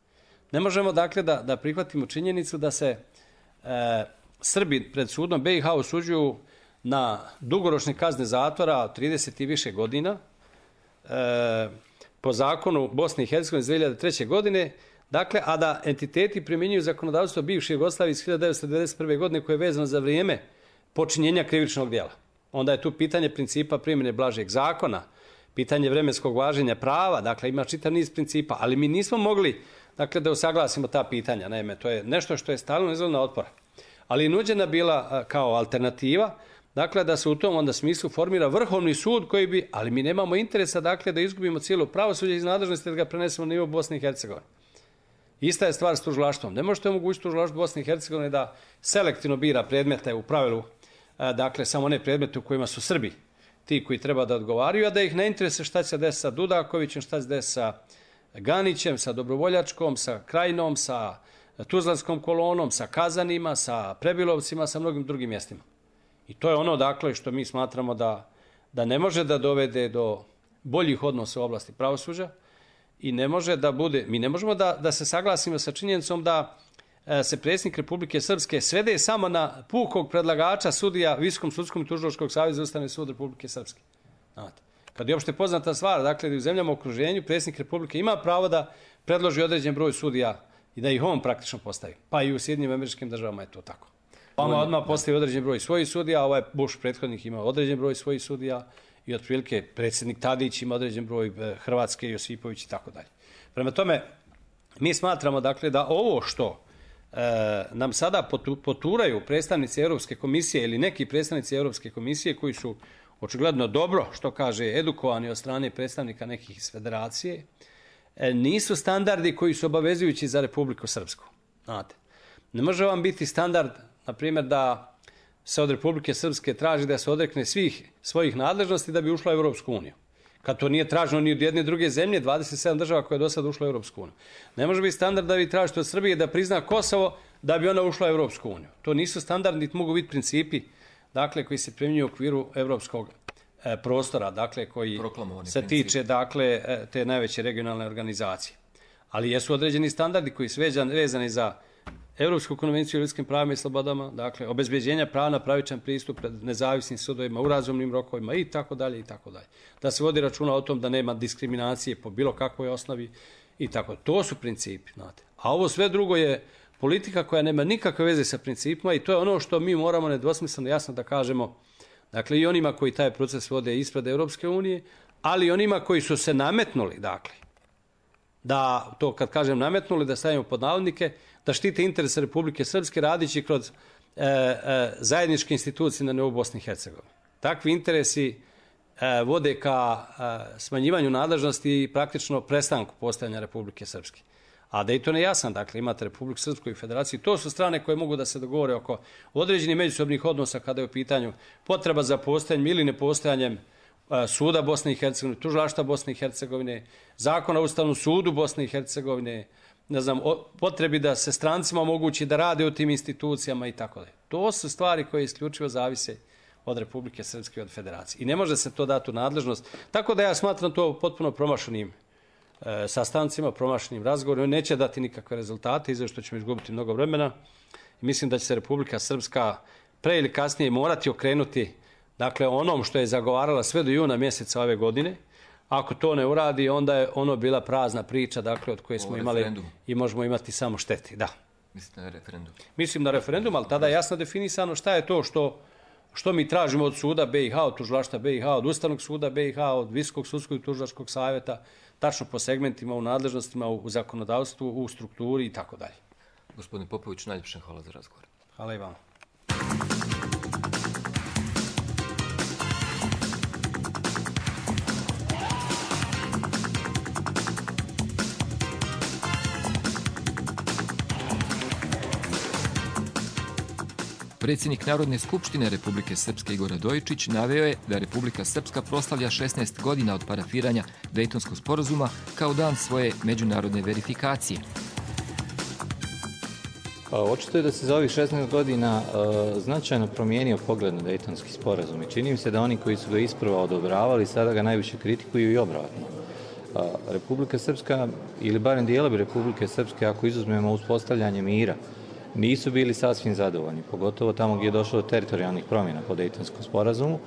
Ne možemo dakle da prihvatimo činjenicu da se Srbi pred sudom BiH osuđuju na dugoročne kazne zatvora 30 i više godina po zakonu Bosne i Hercegovine iz 2003. godine, dakle, a da entiteti primjenjuju zakonodavstvo bivše Jugoslavije iz 1991. godine koje je vezano za vrijeme počinjenja krivičnog djela. Onda je tu pitanje principa primjene blažeg zakona, pitanje vremenskog važenja prava, dakle ima čitav niz principa, ali mi nismo mogli dakle, da usaglasimo ta pitanja. Naime, to je nešto što je stalno izazvalo otpora. ali je nuđena bila kao alternativa, dakle da se u tom onda smislu formira Vrhovni sud koji bi, ali mi nemamo interesa dakle da izgubimo cijelo pravosuđe iz nadležnosti da ga prenesemo na nivo Bosne i Hercegovine. Ista je stvar s tužilaštvom. Ne možete omogućiti tužilaštvu Bosne i Hercegovine da selektivno bira predmete u pravilu, dakle samo one predmete u kojima su Srbi ti koji treba da odgovaraju, a da ih ne interese šta će se desiti sa Dudakovićem, šta će se desiti sa Ganićem, sa Dobrovoljačkom, sa Krajinom, sa Tuzlanskom kolonom, sa Kazanima, sa Prebilovcima, sa mnogim drugim mjestima. I to je ono dakle što mi smatramo da ne može da dovede do boljih odnosa u oblasti pravosuđa i ne može da bude, mi ne možemo da se saglasimo sa činjenicom da se predsjednik Republike Srpske svede samo na pukog predlagača sudija Visokom sudskom i tužilačkog saveza Ustavni sud Republike Srpske. Znate, kad je opšte poznata stvar, dakle da u zemljama u okruženju predsjednik Republike ima pravo da predloži određen broj sudija i da ih on praktično postavi. Pa i u Sjedinjenim Američkim Državama je to tako. Obama odmah postavi određen broj svojih sudija, ovaj Bush prethodnik ima određen broj svojih sudija i otprilike predsjednik Tadić ima određen broj, Hrvatske, Josipović i tako dalje. Prema tome, mi smatramo dakle da ovo što nam sada poturaju predstavnici Europske komisije ili neki predstavnici Europske komisije koji su očigledno dobro, što kaže, edukovani od strane predstavnika nekih iz federacije, nisu standardi koji su obavezujući za Republiku Srpsku. Znate, ne može vam biti standard, na primjer, da se od Republike Srpske traži da se odrekne svih svojih nadležnosti da bi ušla u Europsku uniju. Kad to nije traženo ni od jedne druge zemlje, 27 država koja je do sada ušla u Europsku uniju. Ne može biti standard da vi tražite od Srbije da prizna Kosovo da bi ona ušla u Europsku uniju. To nisu standardi, niti mogu biti principi, dakle, koji se primjenjuju u okviru europskog prostora, dakle, koji se tiče, dakle, te najveće regionalne organizacije. Ali jesu određeni standardi koji su vezani za Europsku konvenciju o ljudskim pravima i slobodama, dakle, obezbeđenja prava na pravičan pristup pred nezavisnim sudovima u razumnim rokovima i tako dalje i tako dalje. Da se vodi računa o tom da nema diskriminacije po bilo kakvoj osnovi i tako. To su principi, znate. A ovo sve drugo je politika koja nema nikakve veze sa principima i to je ono što mi moramo nedvosmisleno jasno da kažemo, dakle, i onima koji taj proces vode ispred Europske unije, ali i onima koji su se nametnuli, dakle, da to kad kažem nametnuli, da stavimo pod navodnike, da štite interese Republike Srpske radići kroz zajedničke institucije na nivou Bosne i Hercegovine. Takvi interesi vode ka smanjivanju nadležnosti i praktično prestanku postojanja Republike Srpske. A Dayton je jasan, dakle, imate Republiku Srpsku i Federaciju. To su strane koje mogu da se dogovore oko određenih međusobnih odnosa kada je u pitanju potreba za postojanjem ili nepostojanjem suda Bosne i Hercegovine, tužilaštva Bosne i Hercegovine, zakona o Ustavnom sudu Bosne i Hercegovine, ne znam, potrebi da se strancima omogući da rade u tim institucijama i tako dalje. To su stvari koje isključivo zavise od Republike Srpske i od Federacije. I ne može se to dati u nadležnost. Tako da ja smatram to potpuno promašenim sastancima, promašenim razgovorima. Neće dati nikakve rezultate, izveo što ćemo izgubiti mnogo vremena. I mislim da će se Republika Srpska pre ili kasnije morati okrenuti, dakle, onom što je zagovarala sve do juna mjeseca ove godine. Ako to ne uradi, onda je ono bila prazna priča, dakle, od koje smo imali i možemo imati samo šteti. Da. Mislite na referendum? Mislim na referendum, ali tada je jasno definisano šta je to što mi tražimo od suda BiH, od tužilaštva BiH, od Ustavnog suda BiH, od Visokog sudskog i tužilačkog savjeta, tačno po segmentima, u nadležnostima, u zakonodavstvu, u strukturi i tako dalje. Gospodine Popović, najljepše hvala za razgovor. Hvala i vama. Predsjednik Narodne skupštine Republike Srpske Igor Radojičić naveo je da Republika Srpska proslavlja 16 godina od parafiranja Dejtonskog sporazuma kao dan svoje međunarodne verifikacije. Očito je da se za ovih 16 godina značajno promijenio pogled na Dejtonski sporazum i čini mi se da oni koji su ga isprva odobravali sada ga najviše kritikuju i obratno. Republika Srpska, ili barem dijelovi Republike Srpske, ako izuzmemo uspostavljanje mira, nisu bili sasvim zadovoljni, pogotovo tamo gdje je došlo do teritorijalnih promjena po Dejtonskom sporazumu,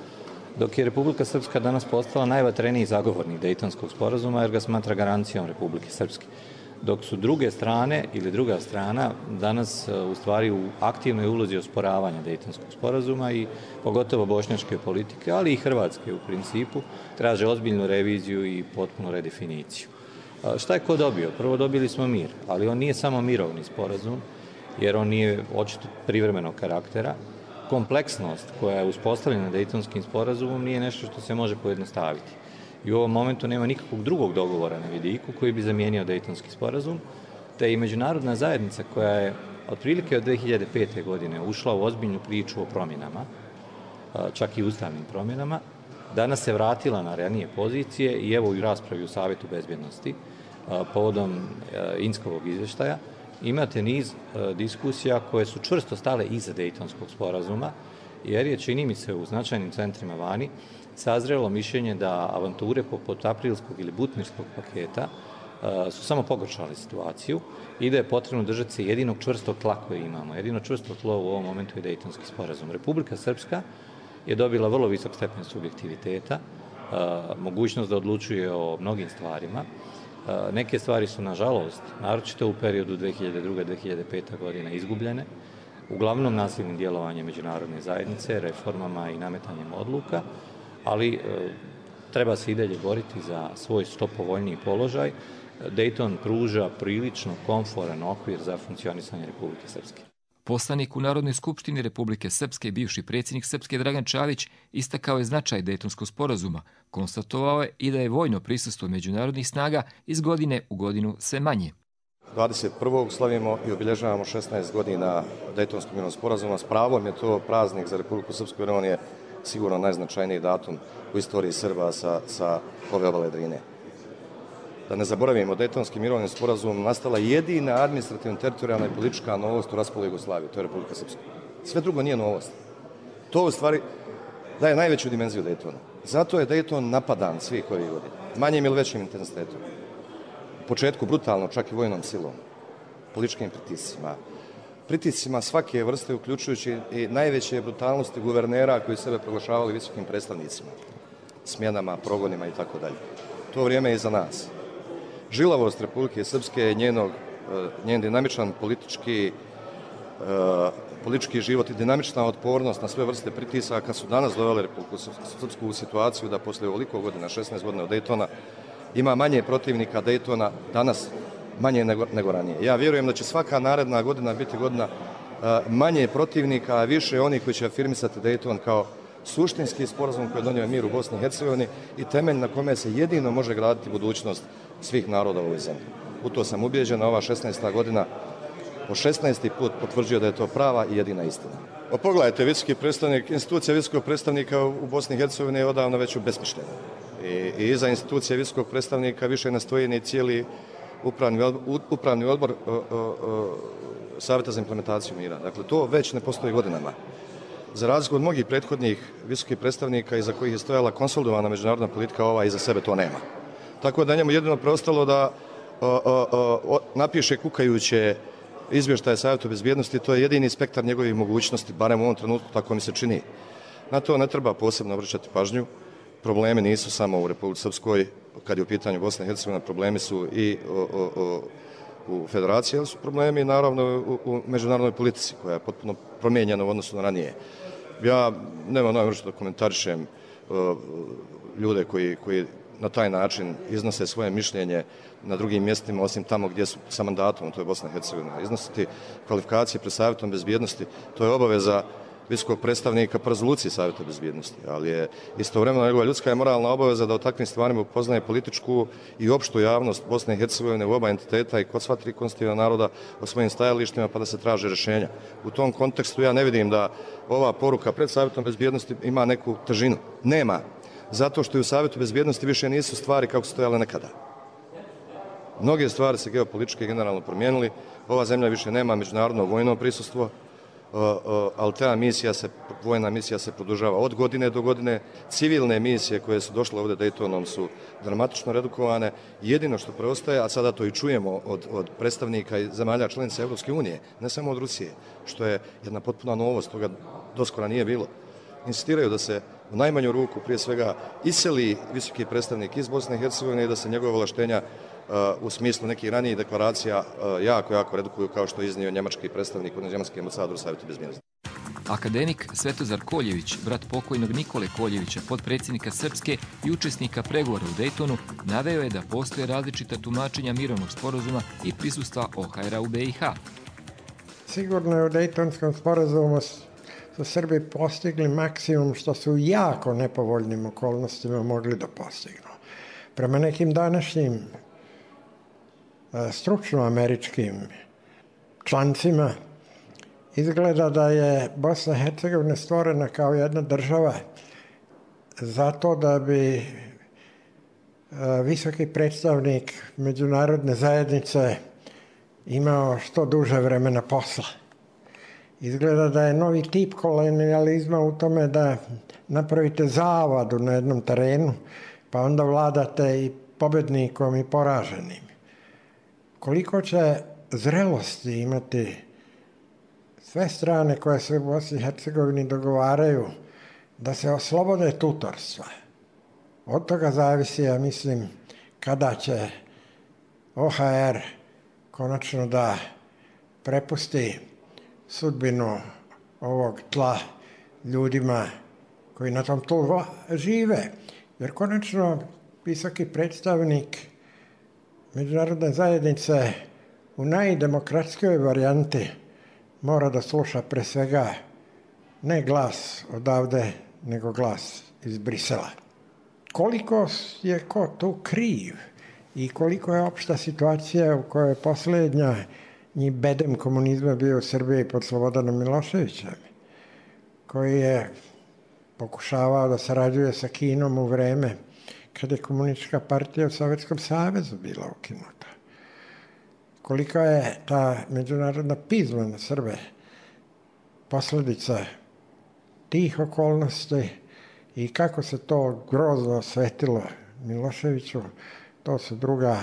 dok je Republika Srpska danas postala najvatreniji zagovornik Dejtonskog sporazuma jer ga smatra garancijom Republike Srpske. Dok su druge strane ili druga strana danas u stvari u aktivnoj ulozi osporavanja Dejtonskog sporazuma i pogotovo bošnjačke politike, ali i hrvatske u principu, traže ozbiljnu reviziju i potpunu redefiniciju. Šta je ko dobio? Prvo dobili smo mir, ali on nije samo mirovni sporazum jer on nije očito privremenog karaktera. Kompleksnost koja je uspostavljena Dejtonskim sporazumom nije nešto što se može pojednostaviti. I u ovom momentu nema nikakvog drugog dogovora na vidiku koji bi zamijenio Dejtonski sporazum, te i međunarodna zajednica koja je otprilike od 2005. godine ušla u ozbiljnu priču o promjenama, čak i ustavnim promjenama, danas se vratila na ranije pozicije i evo i raspravi u Savjetu bezbjednosti povodom Inskovog izvještaja. Imate niz diskusija koje su čvrsto stale iza Dejtonskog sporazuma, jer je, čini mi se, u značajnim centrima vani sazrelo mišljenje da avanture poput aprilskog ili butmirskog paketa su samo pogoršale situaciju i da je potrebno držati se jedinog čvrstog tla koje imamo. Jedino čvrsto tlo u ovom momentu je Dejtonski sporazum. Republika Srpska je dobila vrlo visok stepen subjektiviteta, mogućnost da odlučuje o mnogim stvarima. Neke stvari su, nažalost, naročito u periodu 2002-2005. godina izgubljene, uglavnom nasilnim djelovanjem međunarodne zajednice, reformama i nametanjem odluka, ali treba se i dalje boriti za svoj što povoljniji položaj. Dejton pruža prilično komforan okvir za funkcionisanje Republike Srpske. Poslanik u Narodnoj skupštini Republike Srpske i bivši predsjednik Srpske Dragan Čavić istakao je značaj Dejtonskog sporazuma, konstatovao je i da je vojno prisustvo međunarodnih snaga iz godine u godinu sve manje. 21. slavimo i obilježavamo 16 godina Dejtonskog mirovnog sporazuma. S pravom je to praznik za Republiku Srpsku jer on je sigurno najznačajniji datum u istoriji Srba sa ove obale Drine. Da ne zaboravimo, Dejtonskim mirovnim sporazumom nastala jedina administrativna, teritorijalna i politička novost u raspolu Jugoslavije, to je Republika Srpska. Sve drugo nije novost. To u stvari daje najveću dimenziju Dejtona. Zato je Dejton napadan svih ovih godina, manjim ili većim intenzitetom. U početku brutalno, čak i vojnom silom, političkim pritiscima svake vrste, uključujući i najveće brutalnosti guvernera koji sebe proglašavali visokim predstavnicima, smjenama, progonima i tako dalje. To vrijeme je iza nas. Žilavost Republike Srpske je njen dinamičan politički život i dinamična otpornost na sve vrste pritisaka su danas dovele Republiku Srpsku u situaciju da posle ovoliko godina, 16 godina od Dejtona, ima manje protivnika Dejtona danas manje nego ranije. Ja vjerujem da će svaka naredna godina biti godina manje protivnika, a više onih koji će afirmisati Dejton kao suštinski sporazum koji je donio mir u Bosni i Hercegovini i temelj na kome se jedino može graditi budućnost svih naroda u ovoj zemlji. U to sam ubijeđen, a ova 16. godina po 16. put potvrđuje da je to prava i jedina istina. Pogledajte, institucija visokog predstavnika u Bosni i Hercegovini je odavno već ubesmišljena. I iza institucije visokog predstavnika više ne stoji ni cijeli upravni odbor Savjeta za implementaciju mira. Dakle, to već ne postoji godinama. Za razliku od mnogih prethodnih visokih predstavnika iza kojih je stojala konsolidovana međunarodna politika, ova iza sebe to nema. Tako da njemu jedino preostalo da napiše kukajuće izvještaje Savjetu bezbjednosti, to je jedini spektar njegovih mogućnosti, barem u ovom trenutku, tako mi se čini. Na to ne treba posebno obraćati pažnju. Problemi nisu samo u Republici Srpskoj, kad je u pitanju Bosna i Hercegovina, problemi su i u federaciji, ali su problemi naravno u međunarodnoj politici, koja je potpuno promijenjena u odnosu na ranije. Ja nemam namjeru da komentarišem ljude koji na taj način iznose svoje mišljenje na drugim mjestima, osim tamo gdje su sa mandatom, to je Bosna i Hercegovina. Iznositi kvalifikacije pred Savjetom bezbjednosti, to je obaveza visokog predstavnika po rezoluciji Savjeta bezbjednosti, ali je istovremeno njegova ljudska i moralna obaveza da o takvim stvarima upoznaje političku i opštu javnost Bosne i Hercegovine u oba entiteta i kod sva tri konstitutivna naroda o svojim stajalištima pa da se traže rješenja. U tom kontekstu ja ne vidim da ova poruka pred Savjetom bezbjednosti ima neku težinu. Nema. Zato što i u Savjetu bezbjednosti više nisu stvari kako su stojale nekada. Mnoge stvari se geopolitički generalno promijenili. Ova zemlja više nema međunarodno vojno prisustvo, ali ta vojna misija se produžava od godine do godine. Civilne misije koje su došle ovdje Dejtonom su dramatično redukovane. Jedino što preostaje, a sada to i čujemo od predstavnika i zemalja članica Evropske unije, ne samo od Rusije, što je jedna potpuna novost, toga doskora nije bilo. Insistiraju da se u najmanju ruku prije svega iseli visoki predstavnik iz Bosne i Hercegovine i da se njegove ovlaštenja u smislu nekih ranijih deklaracija jako redukuju, kao što je iznio njemački predstavnik, njemački ambasador u Savjetu bezbjednosti. Akademik Svetozar Koljević, brat pokojnog Nikole Koljevića, potpredsjednika Srpske i učesnika pregovora u Dejtonu, naveo je da postoje različita tumačenja mirovnog sporazuma i prisustva OHR-a u BiH. Sigurno je u Dejtonskom sporazumu su Srbi postigli maksimum što su u jako nepovoljnim okolnostima mogli da postignu. Prema nekim današnjim stručno američkim člancima izgleda da je Bosna i Hercegovina stvorena kao jedna država zato da bi visoki predstavnik međunarodne zajednice imao što duže vremena posla. Izgleda da je novi tip kolonijalizma u tome da napravite zavadu na jednom terenu, pa onda vladate i pobednikom i poraženim. Koliko će zrelosti imati sve strane koje se u Bosni i Hercegovini dogovaraju da se oslobode tutorstva? Od toga zavisi, ja mislim, kada će OHR konačno da prepusti sudbinu ovog tla ljudima koji na tom tlu žive. Jer konačno visoki predstavnik međunarodne zajednice u najdemokratskoj varijanti mora da sluša pre svega ne glas odavde, nego glas iz Brisela. Koliko je ko tu kriv i koliko je opšta situacija u kojoj je posljednja bedem komunizma bio u Srbiji pod Slobodanom Miloševićem, koji je pokušavao da sarađuje sa Kinom u vreme kada je komunistička partija u Sovjetskom savezu bila ukinuta. Kolika je ta međunarodna pizma na Srbe posljedica tih okolnosti i kako se to grozno osvetilo Miloševiću, to su druga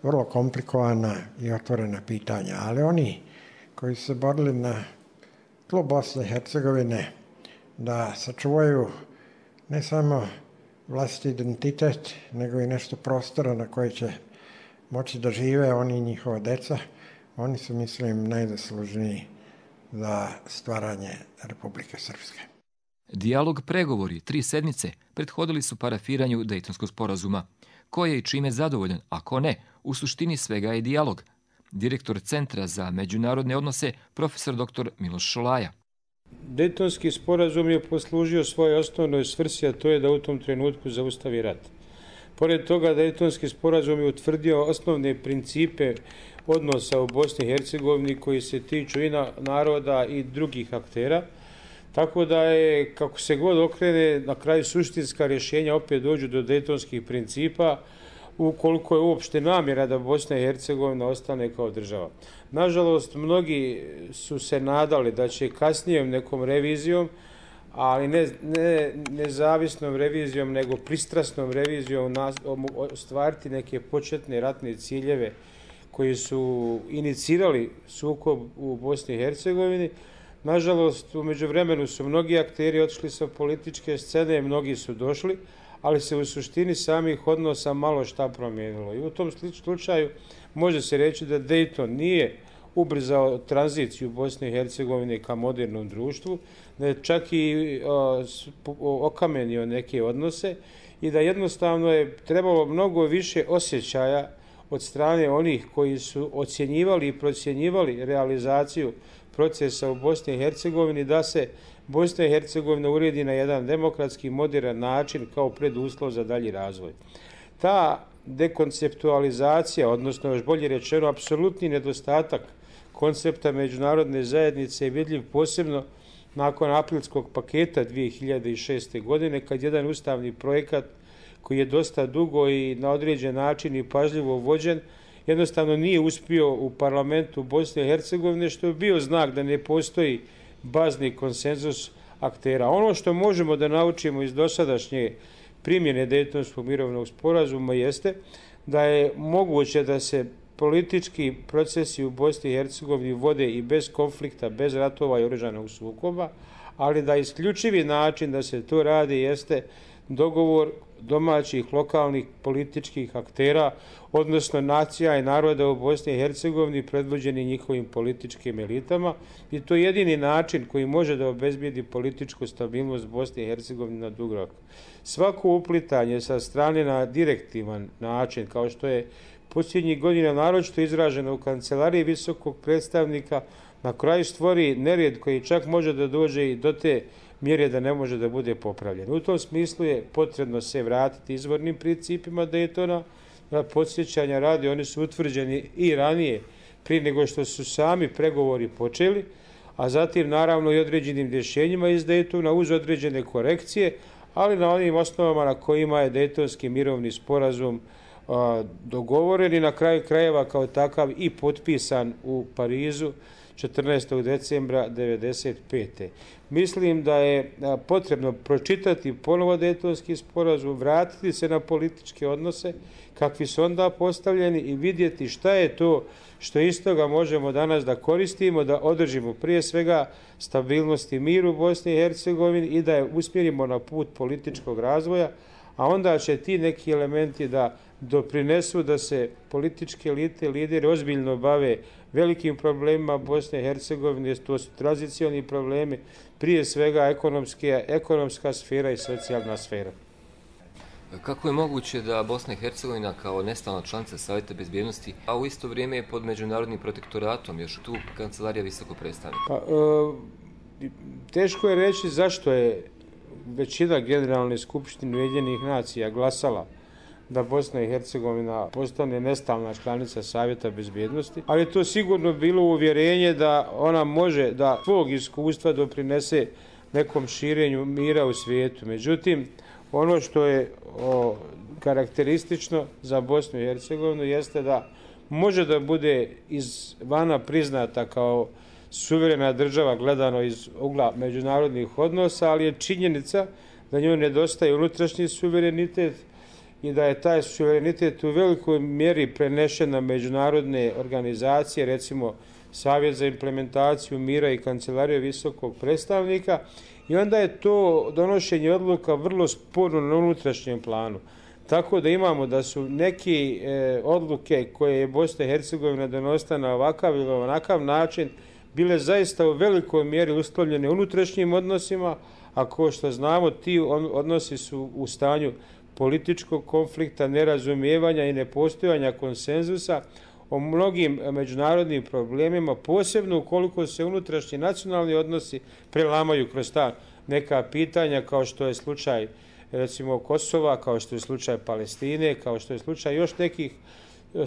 vrlo komplikovana i otvorena pitanja. Ali oni koji su se borili na tlu Bosne i Hercegovine da sačuvaju ne samo vlastiti identitet, nego i nešto prostora na koje će moći da žive oni i njihova deca, oni su, mislim, najzaslužniji za stvaranje Republike Srpske. Dijalog, pregovori, 3 sedmice prethodili su parafiranju Dejtonskog sporazuma. Ko je i čime zadovoljan, ako ne, u suštini svega je dijalog. Direktor Centra za međunarodne odnose, profesor dr. Miloš Šolaja. Dejtonski sporazum je poslužio svojoj osnovnoj svrsi, a to je da u tom trenutku zaustavi rat. Pored toga, Dejtonski sporazum je utvrdio osnovne principe odnosa u Bosni i Hercegovini koji se tiču i naroda i drugih aktera, tako da je, kako se god okrene, na kraju suštinska rješenja opet dođu do dejtonskih principa, ukoliko je uopšte namjera da Bosna i Hercegovina ostane kao država. Nažalost, mnogi su se nadali da će kasnijom nekom revizijom, ali ne nezavisnom revizijom, nego pristrasnom revizijom ostvariti neke početne ratne ciljeve koji su inicirali sukob u Bosni i Hercegovini. Nažalost, u međuvremenu su mnogi akteri otišli sa političke scene, mnogi su došli, ali se u suštini samih odnosa malo šta promijenilo. I u tom slučaju može se reći da Dejton nije ubrzao tranziciju Bosne i Hercegovine ka modernom društvu, da je čak i okamenio neke odnose i da jednostavno je trebalo mnogo više osjećaja od strane onih koji su ocjenjivali i procjenjivali realizaciju procesa u Bosni i Hercegovini, da se Bosna i Hercegovina uredi na jedan demokratski, modern način kao preduslov za dalji razvoj. Ta dekonceptualizacija, odnosno još bolje rečeno, apsolutni nedostatak koncepta međunarodne zajednice je vidljiv posebno nakon aprilskog paketa 2006. godine, kad jedan ustavni projekat koji je dosta dugo i na određen način i pažljivo vođen, jednostavno nije uspio u parlamentu Bosne i Hercegovine, što je bio znak da ne postoji bazni konsenzus aktera. Ono što možemo da naučimo iz dosadašnje primjene Dejtonskog mirovnog sporazuma jeste da je moguće da se politički procesi u Bosni i Hercegovini vode i bez konflikta, bez ratova i oružanog sukoba, ali da isključivi način da se to radi jeste dogovor domaćih, lokalnih političkih aktera, odnosno nacija i naroda u Bosni i Hercegovini predvođeni njihovim političkim elitama, i to je jedini način koji može da obezbijedi političku stabilnost Bosne i Hercegovine na dug rok. Svako uplitanje sa strane na direktivan način, kao što je posljednjih godina naročito izraženo u kancelariji visokog predstavnika, na kraju stvori nered koji čak može da dođe i do te mjere da ne može da bude popravljen. U tom smislu je potrebno se vratiti izvornim principima Daytona, podsjećanja radi, oni su utvrđeni i ranije, prije nego što su sami pregovori počeli, a zatim naravno i određenim rješenjima iz Daytona uz određene korekcije, ali na onim osnovama na kojima je Daytonski mirovni sporazum dogovoren i na kraju krajeva kao takav i potpisan u Parizu 14. decembra 1995. Mislim da je potrebno pročitati ponovo Daytonski sporazum, vratiti se na političke odnose kakvi su onda postavljeni i vidjeti šta je to što iz toga možemo danas da koristimo, da održimo prije svega stabilnost i mir u Bosni i Hercegovini i da je usmjerimo na put političkog razvoja, a onda će ti neki elementi da doprinesu da se političke elite, lideri ozbiljno bave velikim problemima Bosne i Hercegovine, to su tranzicioni problemi, prije svega ekonomska sfera i socijalna sfera. Kako je moguće da Bosna i Hercegovina kao nestalna članica Savjeta bezbjednosti, a u isto vrijeme je pod međunarodnim protektoratom, još tu kancelarija visokog predstavnika? Teško je reći zašto je većina Generalne skupštine Ujedinjenih nacija glasala da Bosna i Hercegovina postane nestalna članica Savjeta bezbjednosti, ali to sigurno bilo uvjerenje da ona može da svog iskustva doprinese nekom širenju mira u svijetu. Međutim, ono što je karakteristično za Bosnu i Hercegovinu jeste da može da bude izvana priznata kao suverena država gledano iz ugla međunarodnih odnosa, ali je činjenica da njoj nedostaje unutrašnji suverenitet i da je taj suverenitet u velikoj mjeri prenešen na međunarodne organizacije, recimo Savjet za implementaciju mira i Kancelarija visokog predstavnika, i onda je to donošenje odluka vrlo sporno na unutrašnjem planu. Tako da imamo da su neke odluke koje je Bosna i Hercegovina donosila na ovakav ili onakav način bile zaista u velikoj mjeri uslovljene unutrašnjim odnosima, a kao što znamo ti odnosi su u stanju političkog konflikta, nerazumijevanja i nepostojanja konsenzusa o mnogim međunarodnim problemima, posebno ukoliko se unutrašnji nacionalni odnosi prelamaju kroz ta neka pitanja, kao što je slučaj recimo Kosova, kao što je slučaj Palestine, kao što je slučaj još nekih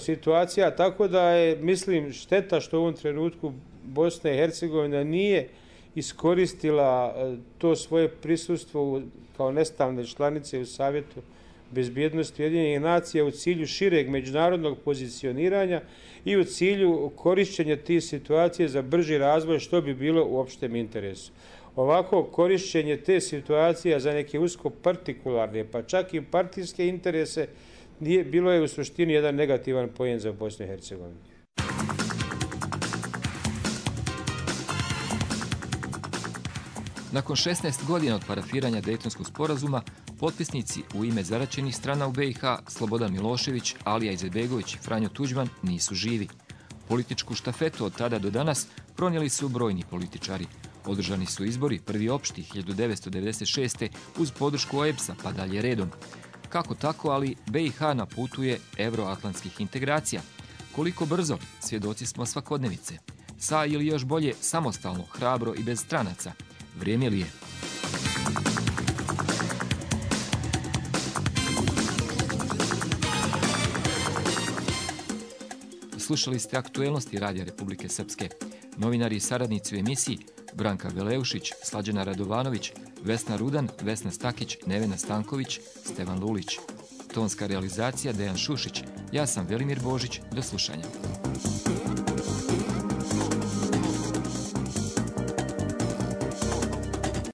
situacija, tako da je, mislim, šteta što u ovom trenutku Bosna i Hercegovina nije iskoristila to svoje prisustvo kao nestalne članice u Savjetu bezbjednosti Ujedinjenih nacija u cilju šireg međunarodnog pozicioniranja i u cilju korišćenja tih situacija za brži razvoj, što bi bilo u opštem interesu. Ovako korišćenje te situacije za neke usko partikularne, pa čak i partijske interese, bilo je u suštini jedan negativan poen za Bosnu i Hercegovinu. Nakon 16 godina od parafiranja Dejtonskog sporazuma, potpisnici u ime zaraćenih strana u BiH, Slobodan Milošević, Alija Izetbegović i Franjo Tuđman, nisu živi. Političku štafetu od tada do danas pronijeli su brojni političari. Održani su izbori, prvi opšti 1996. uz podršku OEBS-a, pa dalje redom. Kako tako, ali BiH na putu je euroatlantskih integracija. Koliko brzo, svjedoci smo svakodnevice. Sa ili još bolje samostalno, hrabro i bez stranaca. Vrijeme li je? Slušali ste aktuelnosti Radija Republike Srpske. Novinari i saradnici u emisiji Branka Veleušić, Slađana Radovanović, Vesna Rudan, Vesna Stakić, Nevena Stanković, Stevan Lulić. Tonska realizacija Dejan Šušić. Ja sam Velimir Božić. Do slušanja.